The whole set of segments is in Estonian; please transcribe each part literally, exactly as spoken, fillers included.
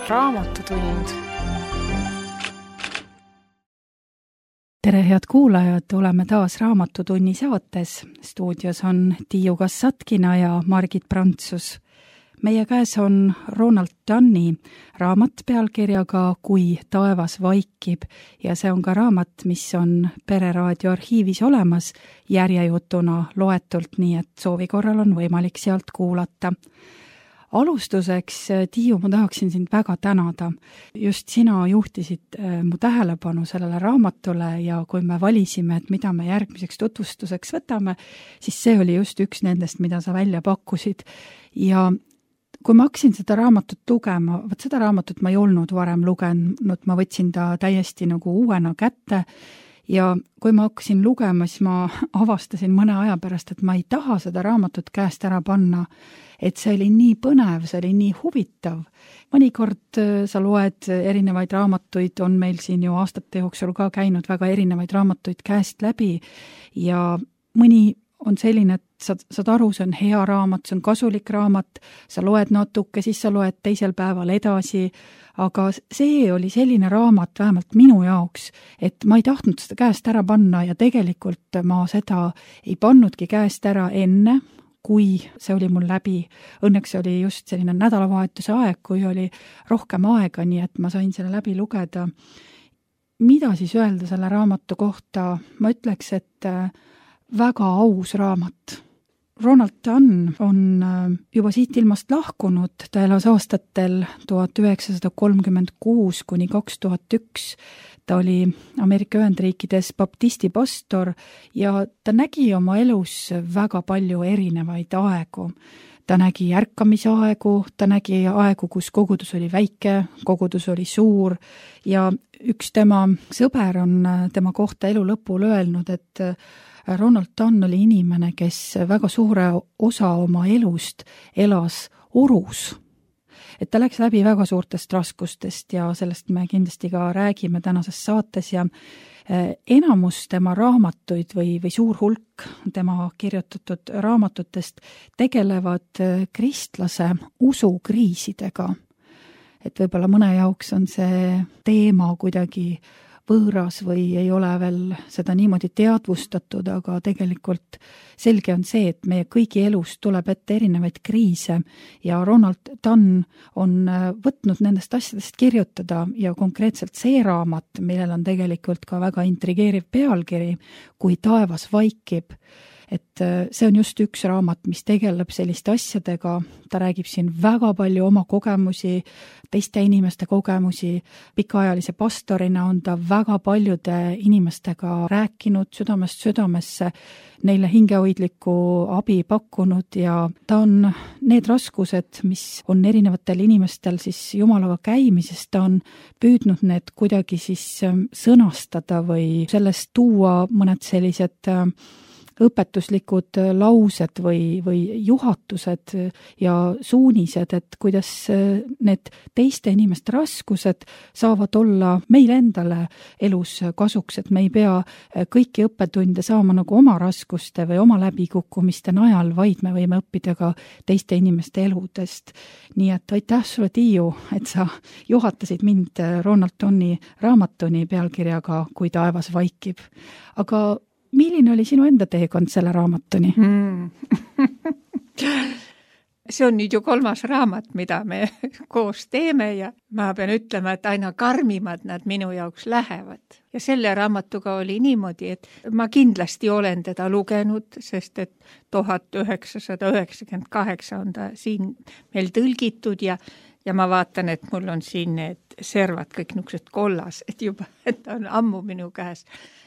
Raamatutund. Tere, head kuulajad, oleme taas Raamatutunni saates. Stuudios on Tiiu Kassatkina ja Margit Prantsus. Meie käes on Roald Dahli raamat pealkirjaga Kui taevas vaikib ja see on ka raamat, mis on Pereraadio arhiivis olemas järjejutuna loetult, nii et soovi korral on võimalik sealt kuulata. Alustuseks, Tiiu, ma tahaksin sind väga tänada. Just sina juhtisid mu tähelepanu sellele raamatule ja kui me valisime, et mida me järgmiseks tutvustuseks võtame, siis see oli just üks nendest, mida sa välja pakkusid. Ja kui ma hakkasin seda raamatut lugema, võt seda raamatut ma ei olnud varem lugenud, ma võtsin ta täiesti nagu uuena kätte ja kui ma hakkasin lugema, siis ma avastasin mõne aja pärast, et ma ei taha seda raamatut käest ära panna, et see oli nii põnev, see oli nii huvitav. Mõnikord sa loed erinevaid raamatuid, on meil siin ju aastate jooksul ka käinud väga erinevaid raamatuid käest läbi ja mõni on selline, et saad, saad aru, see on hea raamat, see on kasulik raamat, sa loed natuke, siis sa loed teisel päeval edasi, aga see oli selline raamat vähemalt minu jaoks, et ma ei tahtnud seda käest ära panna ja tegelikult ma seda ei pannudki käest ära enne, kui see oli mul läbi. Õnneks oli just selline nädalavahetuse aeg, kui oli rohkem aega, nii et ma sain selle läbi lugeda. Mida siis öelda selle raamatu kohta? Ma ütleks, et väga aus raamat. Roald Dahl on juba siit ilmast lahkunud, ta elas aastatel tuhat üheksasada kolmkümmend kuus kuni kaks tuhat üks. Ta oli Ameerika Ühendriikides baptisti pastor ja ta nägi oma elus väga palju erinevaid aegu. Ta nägi ärkamisaegu, ta nägi aegu, kus kogudus oli väike, kogudus oli suur ja üks tema sõber on tema kohta elu lõpul öelnud, et Roald Dahl oli inimene, kes väga suure osa oma elust elas urus. Et ta läks läbi väga suurtest raskustest ja sellest me kindlasti ka räägime tänases saates ja enamus tema raamatuid või, või suur hulk tema kirjutatud raamatutest tegelevad kristlase usukriisidega. Et võib-olla mõne jaoks on see teema kuidagi võõras või ei ole veel seda niimoodi teadvustatud, aga tegelikult selge on see, et meie kõigi elus tuleb ette erinevaid kriise ja Roald Dahl on võtnud nendest asjadest kirjutada ja konkreetselt see raamat, millel on tegelikult ka väga intrigeeriv pealkiri, Kui taevas vaikib, et see on just üks raamat, mis tegeleb selliste asjadega, ta räägib siin väga palju oma kogemusi, teiste inimeste kogemusi, pikaajalise pastorina on ta väga paljude inimestega rääkinud südamest südamesse, neile hingehoidlikku abi pakkunud ja ta on need raskused, mis on erinevatel inimestel siis Jumalaga käimises, ta on püüdnud need kuidagi siis sõnastada või sellest tuua mõned sellised õpetuslikud laused või, või juhatused ja suunised, et kuidas need teiste inimeste raskused saavad olla meile endale elus kasuks, et me ei pea kõiki õppetunde saama nagu oma raskuste või oma läbikukkumiste najal, vaid me võime õppida ka teiste inimeste eludest. Nii et aitäh sulle, Tiiu, et sa juhatasid mind Roald Dahli raamatuni pealkirjaga Kui taevas vaikib. Aga milline oli sinu enda teekond selle raamatuni? Mm. See on nüüd ju kolmas raamat, mida me koos teeme ja ma pean ütlema, et aina karmimad nad minu jaoks lähevad. Ja selle raamatuga oli niimoodi, et ma kindlasti olen teda lugenud, sest et tuhat üheksasada üheksakümmend kaheksa on ta siin meil tõlgitud ja Ja ma vaatan, et mul on siin need servad kõik niisugused kollas, et juba et ta on ammu minu käes.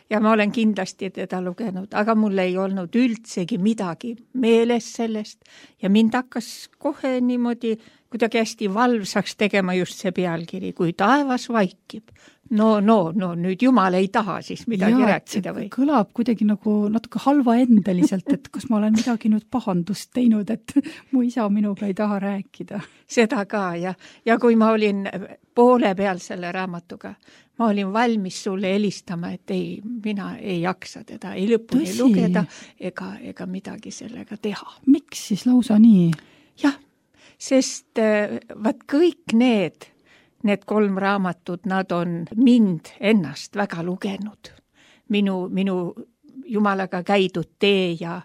Ja ma olen kindlasti teda lugenud, aga mul ei olnud üldsegi midagi meeles sellest ja mind hakkas kohe niimoodi kuidagi hästi valvsaks tegema just see pealkiri, Kui taevas vaikib. No, no, no nüüd Jumal ei taha siis midagi ja, rääkida või? Kõlab kuidagi nagu natuke halva endeliselt, et kas ma olen midagi nüüd pahandust teinud, et mu isa minuga ei taha rääkida. Seda ka ja, ja kui ma olin poole peal selle raamatuga, ma olin valmis sulle helistama, et ei, mina ei jaksa teda ei lõpuni Tõsi. lugeda ega, ega midagi sellega teha. Miks siis lausa nii? Jah, sest vaat kõik need need kolm raamatut, nad on mind ennast väga lugenud. Minu, minu Jumalaga käidud tee ja,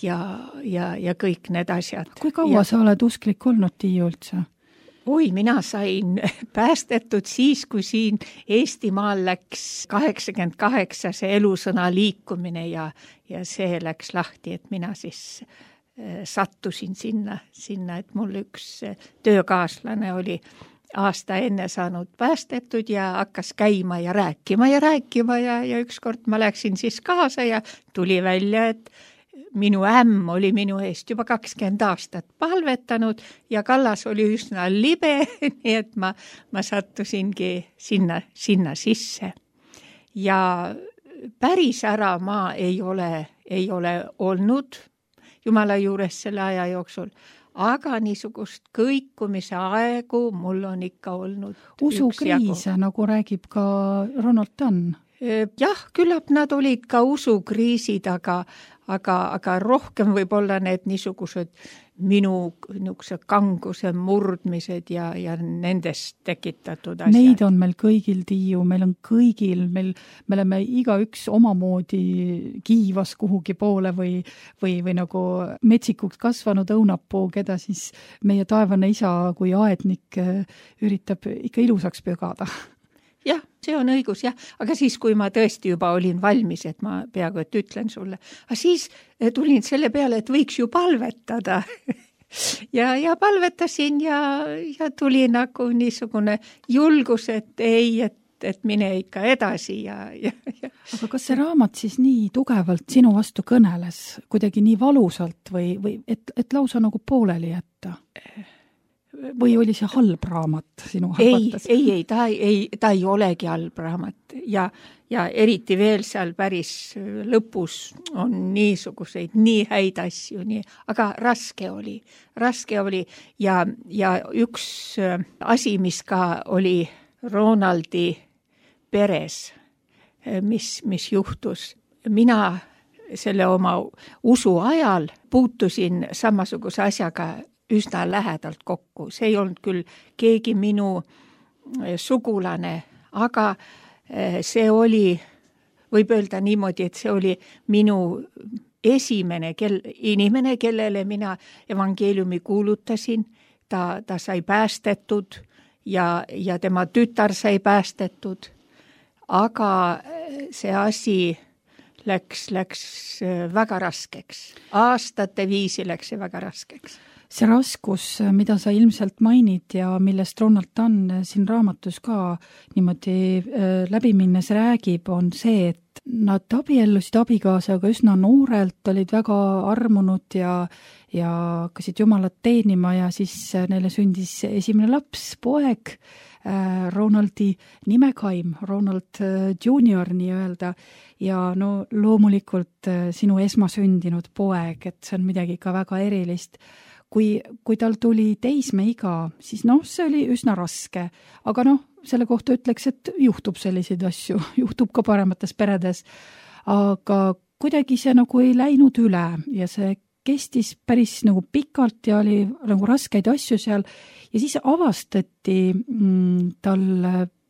ja, ja, ja kõik need asjad. Kui kaua ja... sa oled usklik olnud, Tiiu, üldse? Oi, mina sain päästetud siis, kui siin Eestimaal läks kaheksakümmend kaheksa see elusõna liikumine ja, ja see läks lahti, et mina siis sattusin sinna, sinna, et mul üks töökaaslane oli aasta enne saanud päästetud ja hakkas käima ja rääkima ja rääkima ja, ja ükskord ma läksin siis kaasa ja tuli välja, et minu ämm oli minu eest juba kakskümmend aastat palvetanud ja Kallas oli üsna libe, nii et ma, ma sattusingi sinna, sinna sisse. Ja päris ära ma ei ole, ei ole olnud Jumala juures selle aja jooksul, aga niisugust kõikumise aegu mul on ikka olnud usukriise, nagu räägib ka Ronald Dunn. Jah, küllap nad olid ka usukriisid, aga, aga, aga rohkem võib-olla need niisugused minu niisuguse kanguse murdmised ja, ja nendest tekitatud asjad. Neid on meil kõigil, Tiiu, meil on kõigil, meil, me oleme igaüks omamoodi kiivas kuhugi poole või, või, või nagu metsikuks kasvanud õunapuu, keda siis meie taevane isa kui aednik üritab ikka ilusaks pügada. Jah, see on õigus, jah. Aga siis, kui ma tõesti juba olin valmis, et ma peaaegu et ütlen sulle, aga siis tulin selle peale, et võiks ju palvetada. ja, ja palvetasin ja, ja tuli nagu niisugune julgus, et ei, et, et mine ikka edasi. Ja, ja, ja. Aga kas see raamat siis nii tugevalt sinu vastu kõneles, kuidagi nii valusalt või, või et, et lausa nagu pooleli jätta? Või oli see halb raamat sinu arvates? Ei, ei, ei, ta ei, ta ei olegi halb raamat ja, ja eriti veel seal päris lõpus on niisuguseid nii häid asju, nii, aga raske oli, raske oli ja, ja üks asi, mis ka oli Ronaldi peres, mis, mis juhtus, mina selle oma usu ajal puutusin samasuguse asjaga üsna lähedalt kokku. See ei olnud küll keegi minu sugulane, aga see oli, võib öelda niimoodi, et see oli minu esimene kel, inimene, kellele mina evangeeliumi kuulutasin. Ta, ta sai päästetud ja, ja tema tütar sai päästetud. Aga see asi läks, läks väga raskeks. Aastate viisi läks see väga raskeks. See raskus, mida sa ilmselt mainid ja millest Ronald Dunn siin raamatus ka niimoodi läbi minnes räägib, on see, et nad abiellusid abikaasaga üsna noorelt, olid väga armunud ja, ja hakkasid Jumalat teenima ja siis neile sündis esimene laps, poeg, Ronaldi nimekaim, Ronald junior nii-öelda ja no loomulikult sinu esmasündinud poeg, et see on midagi ka väga erilist. Kui, kui tal tuli teismeiga, siis noh, see oli üsna raske, aga noh, selle kohta ütleks, et juhtub selliseid asju, juhtub ka paremates peredes, aga kuidagi see nagu ei läinud üle ja see kestis päris nagu pikalt ja oli nagu raskeid asju seal ja siis avastati mm, tal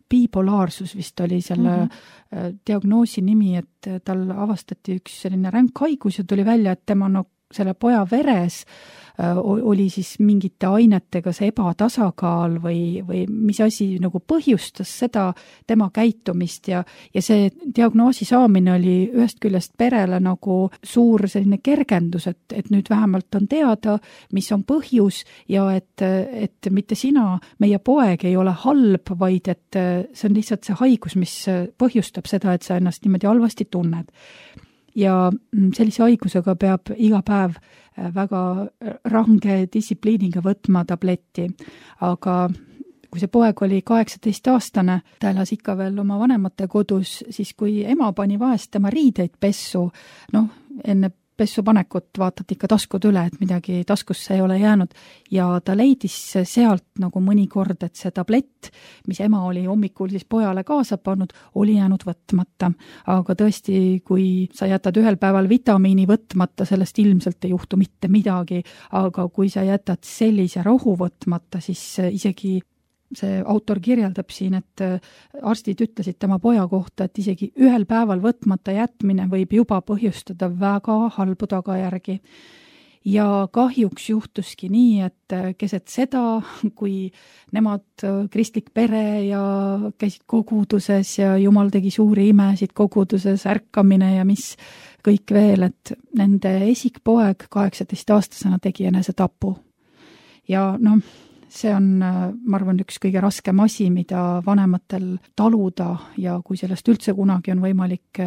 bipolaarsus vist oli selle mm-hmm. diagnoosi nimi, et tal avastati üks selline ränk haigus ja tuli välja, et tema no, selle poja veres oli siis mingite ainetega see ebatasakaal või, või mis asi nagu põhjustas seda tema käitumist ja, ja see diagnoosi saamine oli ühest küljest perele nagu suur selline kergendus, et, et nüüd vähemalt on teada, mis on põhjus ja et, et mitte sina, meie poeg ei ole halb, vaid et see on lihtsalt see haigus, mis põhjustab seda, et sa ennast niimoodi halvasti tunned. Ja sellise haigusega peab iga päev väga range distsipliiniga võtma tabletti, aga kui see poeg oli kaheksateist aastane, ta elas ikka veel oma vanemate kodus, siis kui ema pani vahest tema riideid pessu, noh, enne pessu panekut vaatati ikka taskud üle, et midagi taskusse ei ole jäänud ja ta leidis sealt nagu mõnikord, et see tablett, mis ema oli hommikul siis pojale kaasa pannud, oli jäänud võtmata. Aga tõesti, kui sa jätad ühel päeval vitamiini võtmata, sellest ilmselt ei juhtu mitte midagi, aga kui sa jätad sellise rohu võtmata, siis isegi see autor kirjeldab siin, et arstid ütlesid tema poja kohta, et isegi ühel päeval võtmata jätmine võib juba põhjustada väga halbu tagajärgi. Ja kahjuks juhtuski nii, et keset seda, kui nemad kristlik pere ja käisid koguduses ja Jumal tegi suuri imesid koguduses, ärkamine ja mis kõik veel, et nende esikpoeg kaheksateistaastasena tegi enesetapu. Ja noh, see on, ma arvan, üks kõige raskem asi, mida vanematel taluda ja kui sellest üldse kunagi on võimalik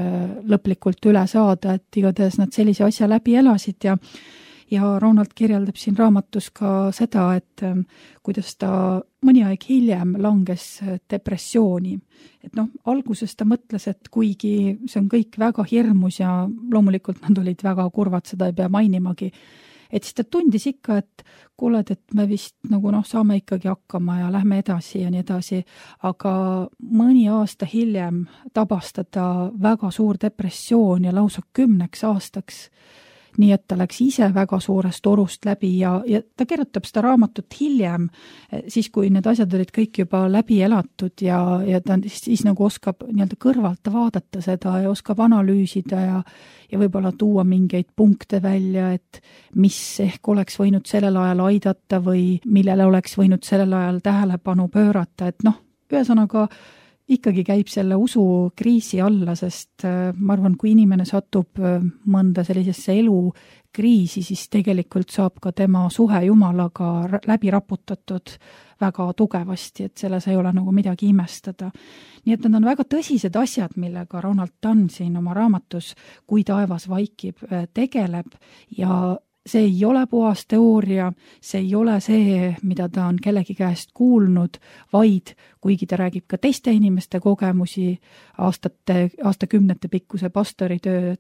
lõplikult üle saada, et igatahes nad sellise asja läbi elasid ja Ja Ronald kirjeldab siin raamatus ka seda, et kuidas ta mõni aeg hiljem langes depressiooni. Et noh, alguses ta mõtles, et kuigi see on kõik väga hirmus ja loomulikult nad olid väga kurvad, seda ei pea mainimagi, et siis ta tundis ikka, et kuuled, et me vist nagu noh, saame ikkagi hakkama ja lähme edasi ja nii edasi, aga mõni aasta hiljem tabas teda väga suur depressioon ja lausa kümneks aastaks. Nii et ta läks ise väga suurest orust läbi ja, ja ta kirjutab seda raamatut hiljem, siis kui need asjad olid kõik juba läbi elatud ja, ja ta siis, siis nagu oskab nii-öelda kõrvalt vaadata seda ja oskab analüüsida ja, ja võib-olla tuua mingeid punkte välja, et mis ehk oleks võinud sellel ajal aidata või millele oleks võinud sellel ajal tähelepanu pöörata, et noh, ühesõnaga ikkagi käib selle usukriisi alla, sest ma arvan, kui inimene satub mõnda sellisesse elukriisi, siis tegelikult saab ka tema suhe Jumalaga läbi raputatud väga tugevasti, et selles ei ole nagu midagi imestada. Nii et need on väga tõsised asjad, millega Ronald Dunn siin oma raamatus Kui taevas vaikib tegeleb ja see ei ole puhas teooria, see ei ole see, mida ta on kellegi käest kuulnud, vaid kuigi ta räägib ka teiste inimeste kogemusi aastate, aastakümnete pikkuse pastoritöö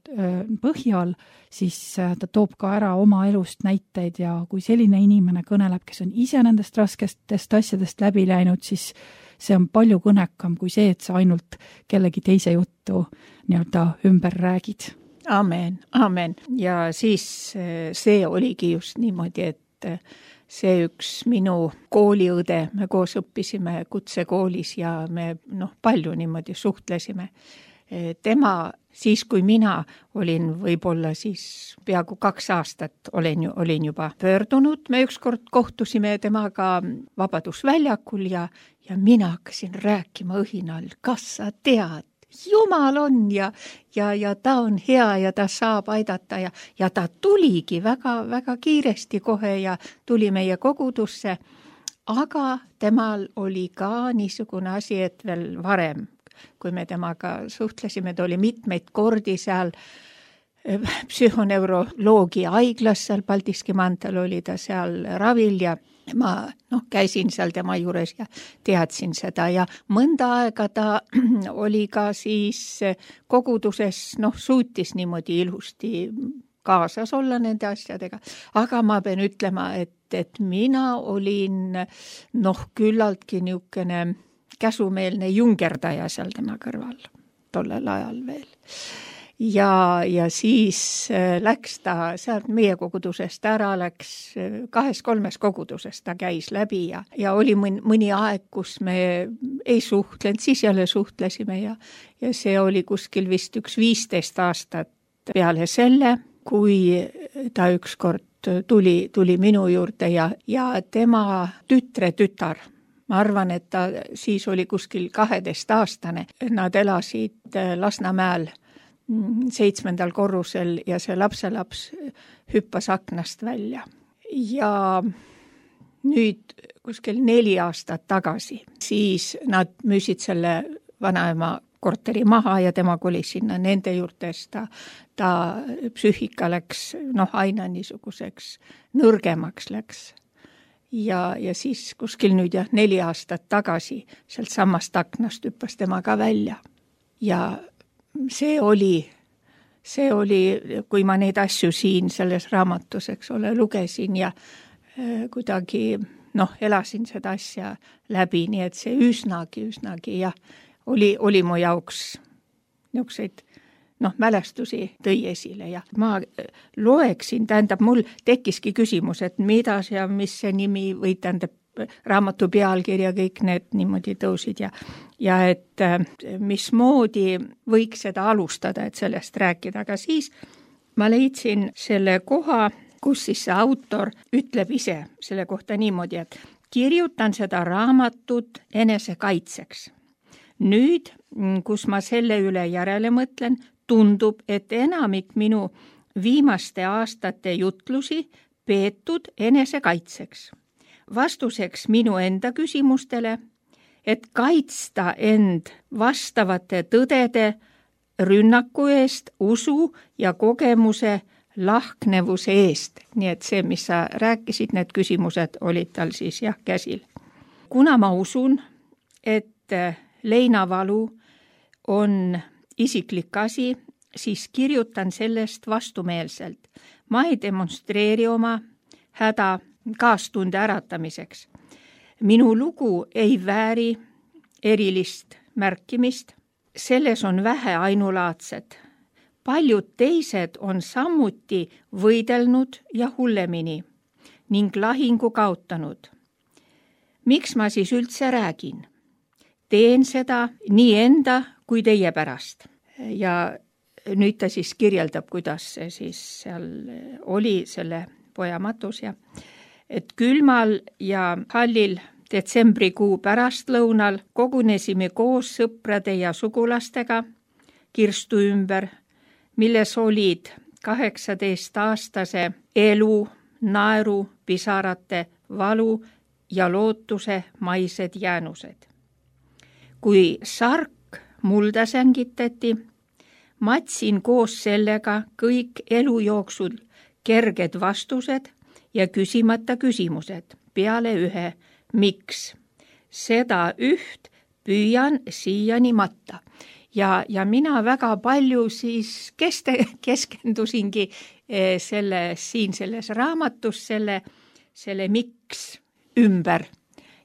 põhjal, siis ta toob ka ära oma elust näiteid ja kui selline inimene kõneleb, kes on ise nendest raskestest asjadest läbi läinud, siis see on palju kõnekam kui see, et sa ainult kellegi teise juttu nii-öelda ümber räägid. Amen, amen. Ja siis see oligi just niimoodi, et see üks minu kooliõde, me koos õppisime kutsekoolis ja me noh, palju niimoodi suhtlesime. Tema siis, kui mina olin võib-olla siis peaaegu kaks aastat olen, olin juba pöördunud, me ükskord kohtusime temaga Vabadusväljakul ja, ja mina hakkasin rääkima õhinal, kas sa tead, Jumal on ja, ja, ja ta on hea ja ta saab aidata ja, ja ta tuligi väga, väga kiiresti kohe ja tuli meie kogudusse, aga temal oli ka niisugune asi, et veel varem, kui me temaga suhtlesime, ta oli mitmeid kordi seal psühhoneuroloogia haiglas, seal Paldiski maanteel oli ta seal ravil ja ma noh, käisin seal tema juures ja teadsin seda ja mõnda aega ta oli ka siis koguduses, noh, suutis niimoodi ilusti kaasas olla nende asjadega, aga ma pean ütlema, et, et mina olin noh, küllaltki niisugune käsumeelne jungerdaja seal tema kõrval tollel ajal veel. Ja, ja siis läks ta sealt meie kogudusest ära, läks kahes-kolmes kogudusest ta käis läbi ja, ja oli mõni, mõni aeg, kus me ei suhtlenud, siis jälle suhtlesime ja, ja see oli kuskil vist üks viisteist aastat peale selle, kui ta ükskord tuli, tuli minu juurde ja, ja tema tütre tütar, ma arvan, et ta siis oli kuskil kaheteist aastane, nad elasid Lasnamäel seitsmendal korrusel ja see lapselaps hüppas aknast välja. Ja nüüd kuskil neli aastat tagasi, siis nad müüsid selle vanaema korteri maha ja tema kolis sinna nende juurtes, ta, ta psüühika läks noh, aina niisuguseks nõrgemaks läks. Ja, ja siis kuskil nüüd jah, neli aastat tagasi sealt samast aknast hüppas tema ka välja ja see oli, see oli, kui ma neid asju siin selles raamatus, eks ole, lugesin ja äh, kuidagi, noh, elasin seda asja läbi, nii et see üsnagi, üsnagi, jah, oli, oli mu jaoks niisuguseid, noh, mälestusi tõi esile ja ma loeksin, tähendab, mul tekkiski küsimus, et mida see, mis see nimi või tähendab raamatu pealkirja, kõik need niimoodi tõusid ja, ja et mismoodi võiks seda alustada, et sellest rääkida, aga siis ma leidsin selle koha, kus siis see autor ütleb ise selle kohta niimoodi, et kirjutan seda raamatut enesekaitseks. Nüüd, kus ma selle üle järele mõtlen, tundub, et enamik minu viimaste aastate jutlusi peetud enesekaitseks. Vastuseks minu enda küsimustele, et kaitsta end vastavate tõdede rünnaku eest, usu ja kogemuse lahknevuse eest. Nii et see, mis sa rääkisid, need küsimused olid tal siis jah käsil. Kuna ma usun, et leinavalu on isiklik asi, siis kirjutan sellest vastumeelselt. Ma ei demonstreeri oma häda kaastunde äratamiseks. Minu lugu ei vääri erilist märkimist. Selles on vähe ainulaadset. Paljud teised on samuti võidelnud ja hullemini ning lahingu kaotanud. Miks ma siis üldse räägin? Teen seda nii enda kui teie pärast. Ja nüüd ta siis kirjeldab, kuidas see siis seal oli selle poja matus ja et külmal ja hallil detsembrikuu pärastlõunal kogunesime koos sõprade ja sugulastega kirstu ümber, milles olid kaheksateist-aastase elu, naeru, pisarate, valu ja lootuse maised jäänused. Kui sark mulda sängitati, matsin koos sellega kõik elu jooksul kerged vastused ja küsimata küsimused peale ühe, miks. Seda üht püüan siiani matta. Ja, ja mina väga palju siis keste, keskendusingi selle, siin selles raamatus selle, selle miks ümber.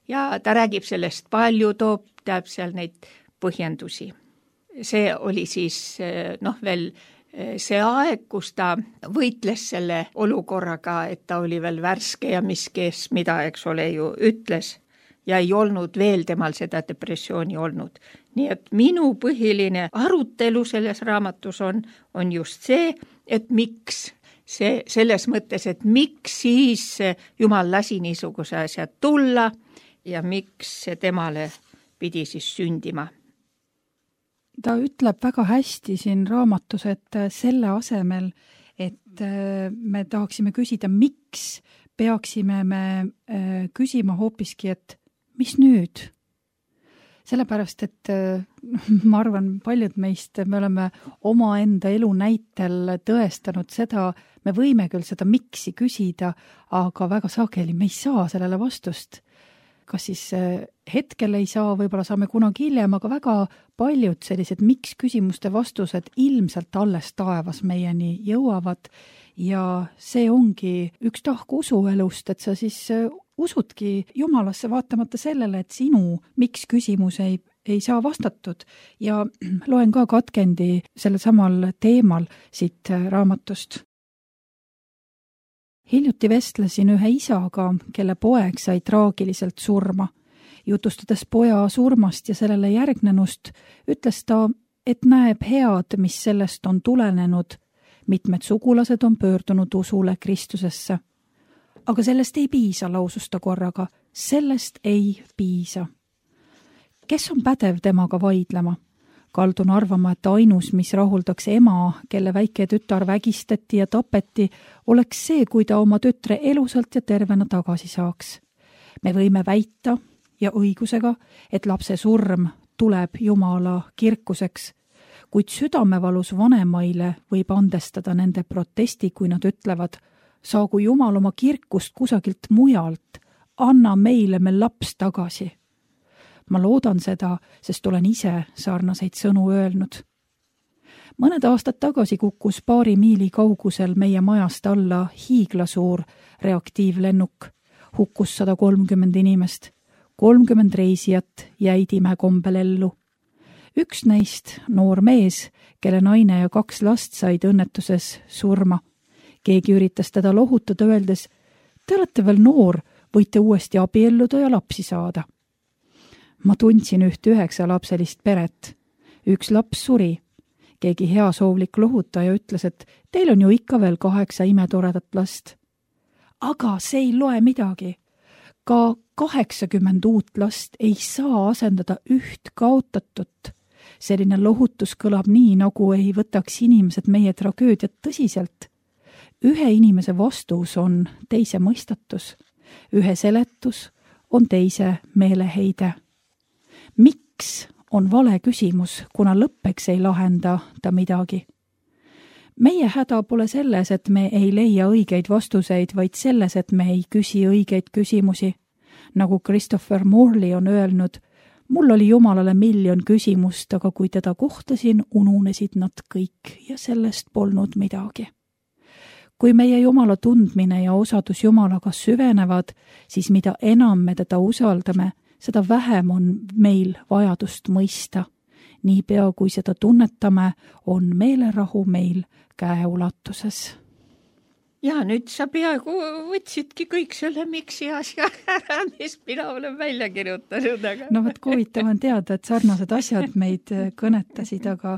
Ja ta räägib sellest palju, toob, teab seal neid põhjendusi. See oli siis noh veel see aeg, kus ta võitles selle olukorraga, et ta oli veel värske ja mis kes mida, eks ole ju, ütles ja ei olnud veel temal seda depressiooni olnud. Nii et minu põhiline arutelu selles raamatus on, on just see, et miks see, selles mõttes, et miks siis Jumal lasi niisuguse asja tulla ja miks see temale pidi siis sündima. Ta ütleb väga hästi siin raamatus, et selle asemel, et me tahaksime küsida, miks peaksime me küsima hoopiski, et mis nüüd? Sellepärast, et ma arvan, paljud meist, me oleme oma enda elu näitel tõestanud seda, me võime küll seda miksi küsida, aga väga sageli me ei saa sellele vastust. Kas siis hetkel ei saa, võib-olla saame kunagi hiljem, aga väga paljud sellised miks küsimuste vastused ilmselt alles taevas meieni jõuavad ja see ongi üks tahk usuelust, et sa siis usudki Jumalasse vaatamata sellele, et sinu miks küsimus ei, ei saa vastatud ja loen ka katkendi sellel samal teemal siit raamatust. Hiljuti vestlesin ühe isaga, kelle poeg sai traagiliselt surma. Jutustades poja surmast ja sellele järgnenust, ütles ta, et näeb head, mis sellest on tulenenud. Mitmed sugulased on pöördunud usule Kristusesse. Aga sellest ei piisa, lausus ta korraga. Sellest ei piisa. Kes on pädev temaga vaidlema? Kaldun arvama, et ainus, mis rahuldaks ema, kelle väike tütar vägistati ja tapeti, oleks see, kui ta oma tütre elusalt ja tervena tagasi saaks. Me võime väita ja õigusega, et lapse surm tuleb Jumala kirkuseks, kuid südamevalus vanemaile võib andestada nende protesti, kui nad ütlevad, saagu Jumal oma kirkust kusagilt mujalt, anna meile me laps tagasi. Ma loodan seda, sest olen ise sarnaseid sõnu öelnud. Mõned aastad tagasi kukkus paari miili kaugusel meie majast alla hiiglasuur reaktiivlennuk. Hukkus sada kolmkümmend inimest. kolmkümmend reisijat jäid imekombel ellu. Üks neist, noor mees, kelle naine ja kaks last said õnnetuses surma. Keegi üritas teda lohutada öeldes, te olete veel noor, võite uuesti abielluda ja lapsi saada. Ma tundsin üht üheksa lapselist peret. Üks laps suri. Keegi heasoovlik lohutaja ütles, et teil on ju ikka veel kaheksa imetoredat last. Aga see ei loe midagi. Ka kaheksakümmend uut last ei saa asendada üht kaotatut. Selline lohutus kõlab nii, nagu ei võtaks inimesed meie tragöödiat tõsiselt. Ühe inimese vastus on teise mõistatus. Ühe seletus on teise meeleheide. Miks on vale küsimus, kuna lõppeks ei lahenda ta midagi? Meie häda pole selles, et me ei leia õigeid vastuseid, vaid selles, et me ei küsi õigeid küsimusi. Nagu Christopher Morley on öelnud, mul oli Jumalale miljon küsimust, aga kui teda kohtasin, ununesid nad kõik ja sellest polnud midagi. Kui meie Jumala tundmine ja osadus Jumalaga süvenevad, siis mida enam me teda usaldame, seda vähem on meil vajadust mõista. Niipea kui seda tunnetame, on meelerahu meil käeulatuses. Ja nüüd sa peaaegu võtsidki kõik selle miksi asja ära, mis mina olen välja kirjutanud. Aga... No võt huvitav on teada, et sarnased asjad meid kõnetasid, aga,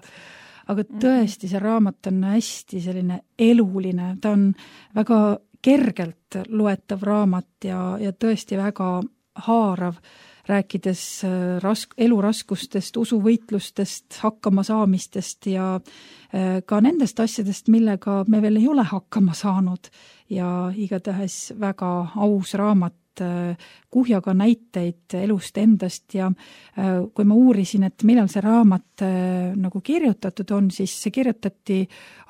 aga tõesti see raamat on hästi selline eluline. Ta on väga kergelt loetav raamat ja, ja tõesti väga haarav, rääkides rask, eluraskustest, usuvõitlustest, hakkama saamistest ja ka nendest asjadest, millega me veel ei ole hakkama saanud. Ja igatahes väga aus raamat, kuhjaga näiteid elust endast ja kui ma uurisin, et millal see raamat nagu kirjutatud on, siis see kirjutati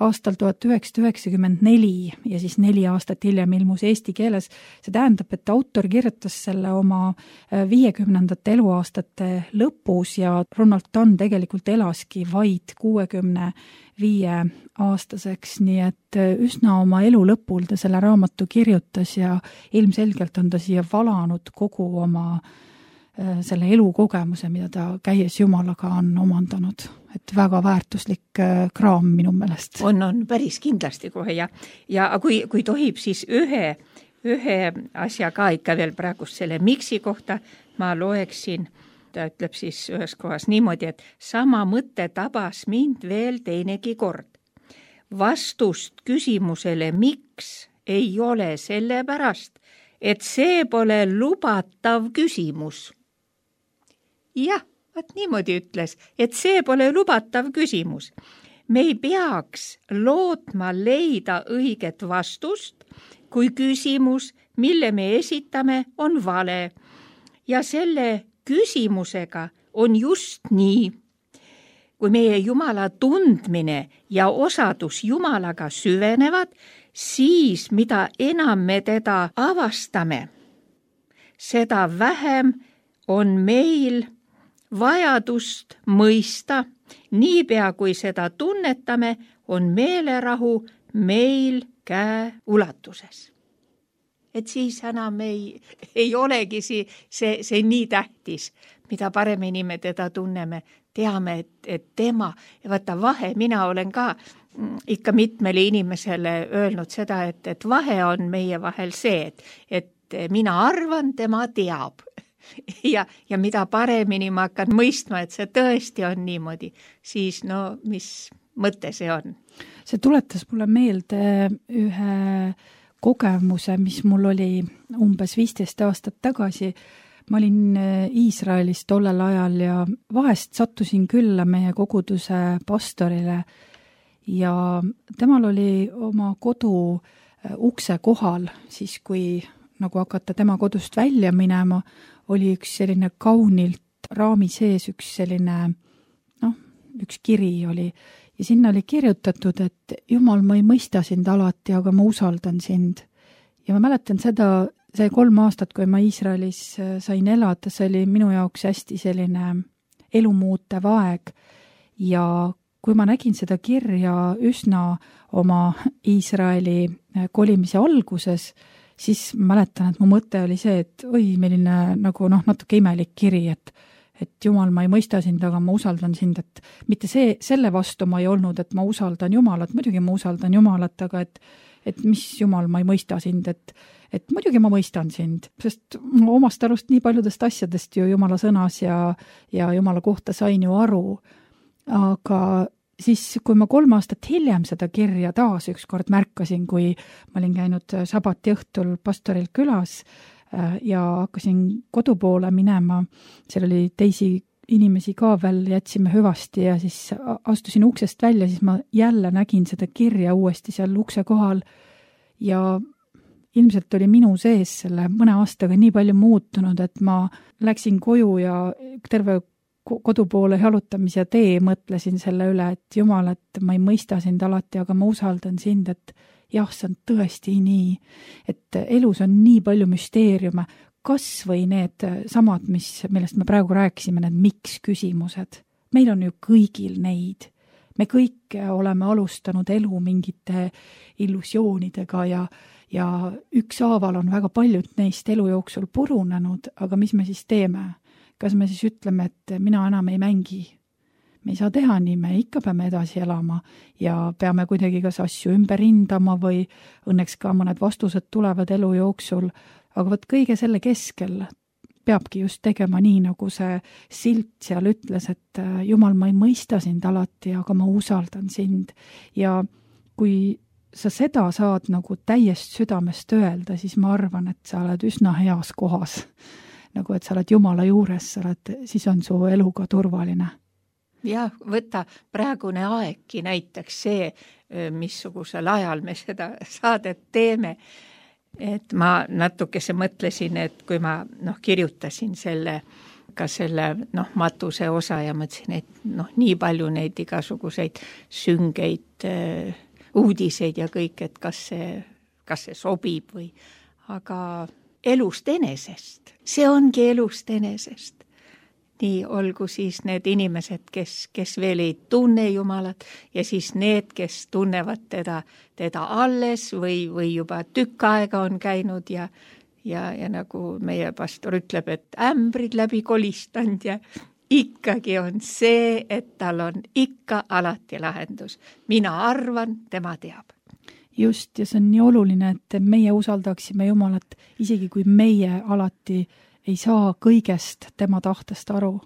aastal tuhat üheksasada üheksakümmend neli ja siis neli aastat hiljem ilmus eesti keeles. See tähendab, et autor kirjutas selle oma viiekümnendate eluaastate lõpus ja Ronald Dunn tegelikult elaski vaid kuuekümne viie aastaseks, nii et üsna oma elu lõpul ta selle raamatu kirjutas ja ilmselgelt on ta siia valanud kogu oma selle elukogemuse, mida ta käies Jumalaga on omandanud. Et väga väärtuslik kraam minu meelest. On, on päris kindlasti kohe ja, ja kui, kui tohib, siis ühe, ühe asja ka ikka veel praegust selle miksi kohta ma loeksin. Ta ütleb siis ühes kohas niimoodi, et sama mõte tabas mind veel teinegi kord. Vastust küsimusele miks ei ole sellepärast, et see pole lubatav küsimus. Jah, vaat niimoodi ütles, et see pole lubatav küsimus. Me ei peaks lootma leida õiget vastust, kui küsimus, mille me esitame, on vale ja selle küsimusega on just nii. Kui meie Jumala tundmine ja osadus Jumalaga süvenevad, siis mida enam me teda avastame, seda vähem on meil vajadust mõista. Niipea kui seda tunnetame, on meelerahu meil käe ulatuses. Et siis enam ei, ei olegi see, see, see nii tähtis, mida paremini me teda tunneme, teame, et, et tema, ja vaata vahe, mina olen ka ikka mitmele inimesele öelnud seda, et, et vahe on meie vahel see, et, et mina arvan, tema teab. Ja, ja mida paremini ma hakkan mõistma, et see tõesti on niimoodi, siis no mis mõte see on? See tuletas mulle meelde ühe kogemuse, mis mul oli umbes viisteist aastat tagasi. Ma olin Iisraelis tollel ajal ja vahest sattusin külla meie koguduse pastorile ja temal oli oma kodu ukse kohal, siis kui nagu hakata tema kodust välja minema, oli üks selline kaunilt raami sees üks selline, noh, üks kiri oli. Ja sinna oli kirjutatud, et Jumal, ma ei mõista sind alati, aga ma usaldan sind. Ja ma mäletan seda, see kolm aastat, kui ma Iisraelis sain elada, see oli minu jaoks hästi selline elumuutev aeg. Ja kui ma nägin seda kirja üsna oma Iisraeli kolimise alguses, siis mäletan, et mu mõte oli see, et oi, milline nagu noh, natuke imelik kiri, et et Jumal, ma ei mõista sind, aga ma usaldan sind, et mitte see, selle vastu ma ei olnud, et ma usaldan Jumalat, muidugi ma usaldan Jumalat, aga et, et mis jumal, ma ei mõista sind, et et muidugi ma mõistan sind, sest ma omast arust nii paljudest asjadest ju Jumala sõnas ja, ja Jumala kohta sain ju aru. Aga siis, kui ma kolm aastat hiljem seda kirja taas ükskord märkasin, kui ma olin käinud sabati õhtul pastoril külas ja hakkasin kodu poole minema, seal oli teisi inimesi ka veel, jätsime hüvasti ja siis astusin uksest välja, siis ma jälle nägin seda kirja uuesti seal ukse kohal ja ilmselt oli minu sees selle mõne aastaga nii palju muutunud, et ma läksin koju ja terve kodu poole jalutamise tee mõtlesin selle üle, et Jumal, et ma ei mõista sind alati, aga ma usaldan sind, et jah, see on tõesti nii, et elus on nii palju müsteeriume, kas või need samad, mis, millest me praegu rääkisime, need miks küsimused. Meil on ju kõigil neid. Me kõik oleme alustanud elu mingite illusioonidega ja ja ükshaaval on väga paljud neist elu jooksul purunenud, aga mis me siis teeme? Kas me siis ütleme, et mina enam ei mängi? Me ei saa teha nii, me ikka peame edasi elama ja peame kuidagi kas asju ümber hindama või õnneks ka mõned vastused tulevad elu jooksul, aga võt kõige selle keskel peabki just tegema nii, nagu see silt seal ütles, et Jumal, ma ei mõista sind alati, aga ma usaldan sind ja kui sa seda saad nagu täiest südamest öelda, siis ma arvan, et sa oled üsna heas kohas. Nagu, et sa oled Jumala juures, sa oled, siis on su eluga turvaline. Jah, võta praegune aegki näiteks see, missugusel ajal me seda saadet teeme. Et ma natukese mõtlesin, et kui ma noh, kirjutasin selle, ka selle noh, matuse osa ja mõtlesin, et noh, nii palju neid igasuguseid süngeid uudiseid ja kõik, et kas see, kas see sobib või, aga elust enesest, see ongi elust enesest. Nii olgu siis need inimesed, kes, kes veel ei tunne Jumalat ja siis need, kes tunnevad teda, teda alles või, või juba tükk aega on käinud ja, ja, ja nagu meie pastor ütleb, et ämbrid läbi kolistanud ja ikkagi on see, et tal on ikka alati lahendus. Mina arvan, tema teab. Just, ja see on nii oluline, et meie usaldaksime Jumalat, isegi kui meie alati ei saa kõigest tema tahtest aru.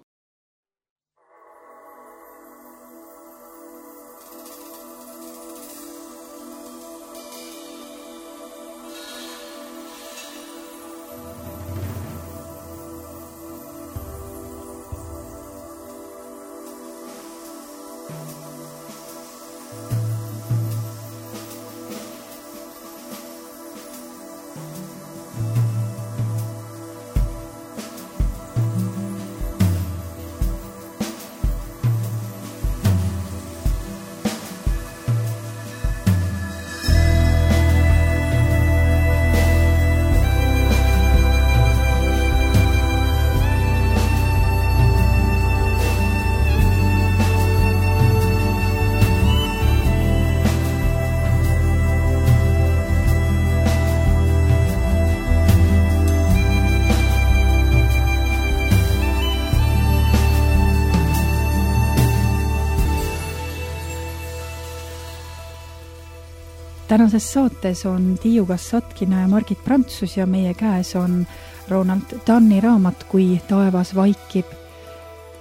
Tänases saates on Tiiu Kassatkina ja Margit Prantsus ja meie käes on Ronald Dunni raamat Kui taevas vaikib.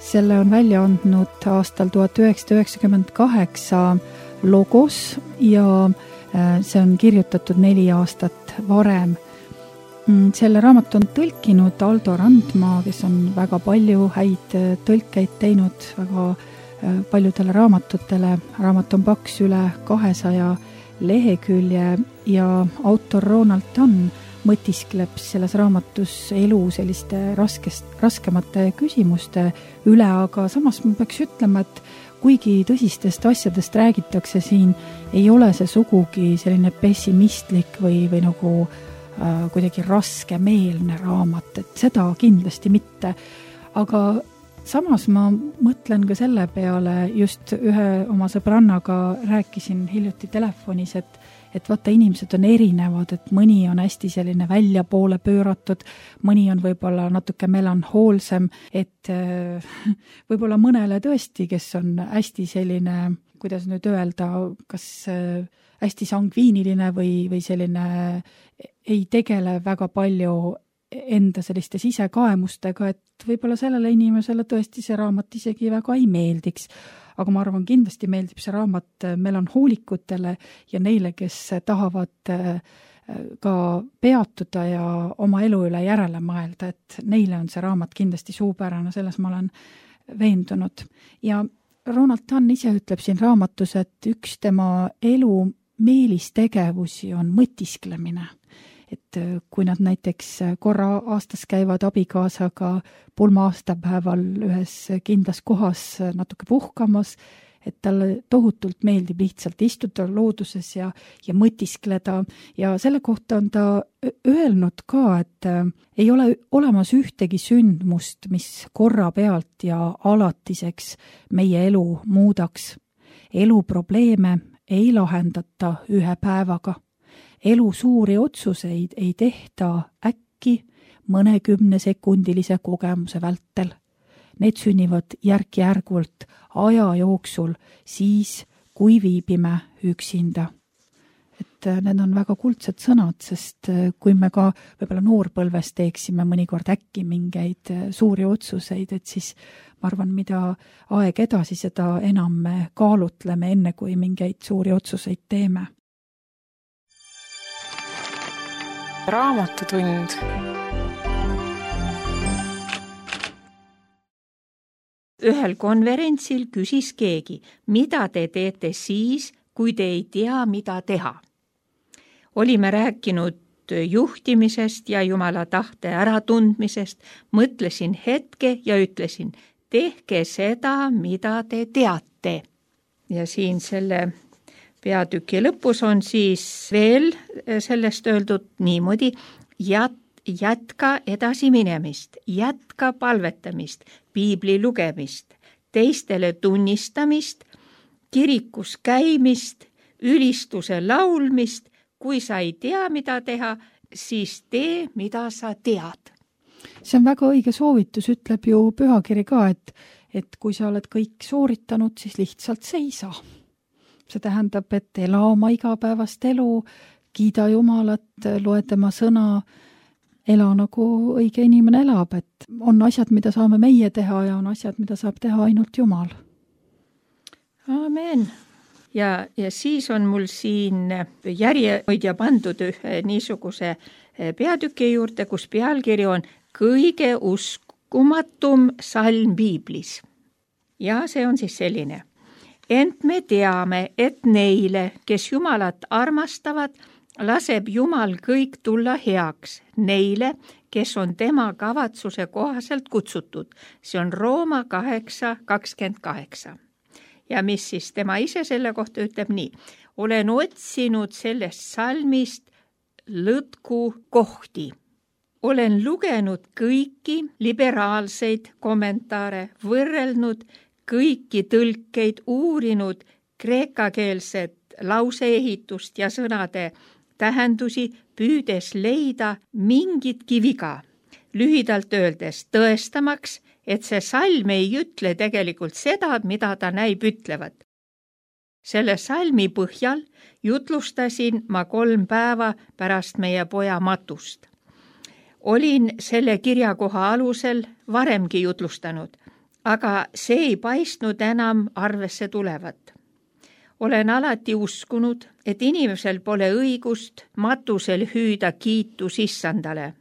Selle on välja andnud aastal tuhat üheksasada üheksakümmend kaheksa Logos ja see on kirjutatud neli aastat varem. Selle raamat on tõlkinud Aldo Randmaa, kes on väga palju häid tõlkeid teinud väga paljudele raamatutele. Raamat on paks üle kahesaja lehekülje ja autor Ronald Dunn mõtiskleb selles raamatus elu selliste raskest, raskemate küsimuste üle, aga samas ma peaks ütlema, et kuigi tõsistest asjadest räägitakse siin, ei ole see sugugi selline pessimistlik või, või nagu äh, kuidagi raskemeelne raamat, et seda kindlasti mitte. Aga samas ma mõtlen ka selle peale, just ühe oma sõbrannaga rääkisin hiljuti telefonis, et, et vaata, inimesed on erinevad, et mõni on hästi selline väljapoole pööratud, mõni on võib-olla natuke melanhoolsem, et võib-olla mõnele tõesti, kes on hästi selline kuidas nüüd öelda, kas hästi sangviiniline või, või selline ei tegele väga palju enda selliste sisekaemustega, et võib-olla sellele inimesele tõesti see raamat isegi väga ei meeldiks. Aga ma arvan, kindlasti meeldib see raamat melanhoolikutele ja neile, kes tahavad ka peatuda ja oma elu üle järele mõelda, et neile on see raamat kindlasti suupärane, selles ma olen veendunud. Ja Ronald Dunn ise ütleb siin raamatus, et üks tema elu meelistegevusi on mõtisklemine. Et kui nad näiteks korra aastas käivad abikaasaga pulma aastapäeval ühes kindlas kohas natuke puhkamas, et talle tohutult meeldib lihtsalt istuda looduses ja, ja mõtiskleda ja selle kohta on ta öelnud ka, et ei ole olemas ühtegi sündmust, mis korra pealt ja alatiseks meie elu muudaks. Eluprobleeme ei lahendata ühe päevaga. Elu suuri otsuseid ei tehta äkki mõnekümne sekundilise kogemuse vältel. Need sünnivad järk-järgult aja jooksul siis, kui viibime üksinda. Et need on väga kuldsed sõnad, sest kui me ka võib-olla noorpõlves teeksime mõnikord äkki mingeid suuri otsuseid, et siis ma arvan, mida aeg edasi, seda enam me kaalutleme enne, kui mingeid suuri otsuseid teeme. Raamatutund. Ühel konverentsil küsis keegi, mida te teete siis, kui te ei tea, mida teha. Olime rääkinud juhtimisest ja Jumala tahte äratundmisest, mõtlesin hetke ja ütlesin, tehke seda, mida te teate. Ja siin selle peatüki lõpus on siis veel sellest öeldud niimoodi, jät, jätka edasi minemist, jätka palvetamist, piibli lugemist, teistele tunnistamist, kirikus käimist, ülistuse laulmist, kui sa ei tea, mida teha, siis tee, mida sa tead. See on väga õige soovitus, ütleb ju pühakiri ka, et, et kui sa oled kõik sooritanud, siis lihtsalt seisa. See tähendab, et ela oma igapäevast elu, kiida Jumalat, loe tema sõna, ela nagu õige inimene elab, et on asjad, mida saame meie teha ja on asjad, mida saab teha ainult Jumal. Amen. Ja, ja siis on mul siin järjehoidja pandud ühe niisuguse peatüki juurde, kus pealkiri on kõige uskumatum salm piiblis. Ja see on siis selline. Ent me teame, et neile, kes Jumalat armastavad, laseb Jumal kõik tulla heaks. Neile, kes on tema kavatsuse kohaselt kutsutud. See on Rooma kaheksa kakskümmend kaheksa. Ja mis siis tema ise selle kohta ütleb nii. Olen otsinud sellest salmist lõtku kohti. Olen lugenud kõiki liberaalseid kommentaare, võrrelnud kõiki tõlkeid, uurinud kreekakeelset lauseehitust ja sõnade tähendusi, püüdes leida mingit kiviga. Lühidalt öeldes tõestamaks, et see salm ei ütle tegelikult seda, mida ta näib ütlevat. Selle salmi põhjal jutlustasin ma kolm päeva pärast meie poja matust. Olin selle kirjakoha alusel varemgi jutlustanud, aga see ei paistnud enam arvesse tulevat. Olen alati uskunud, et inimesel pole õigust matusel hüüda kiitus issandale,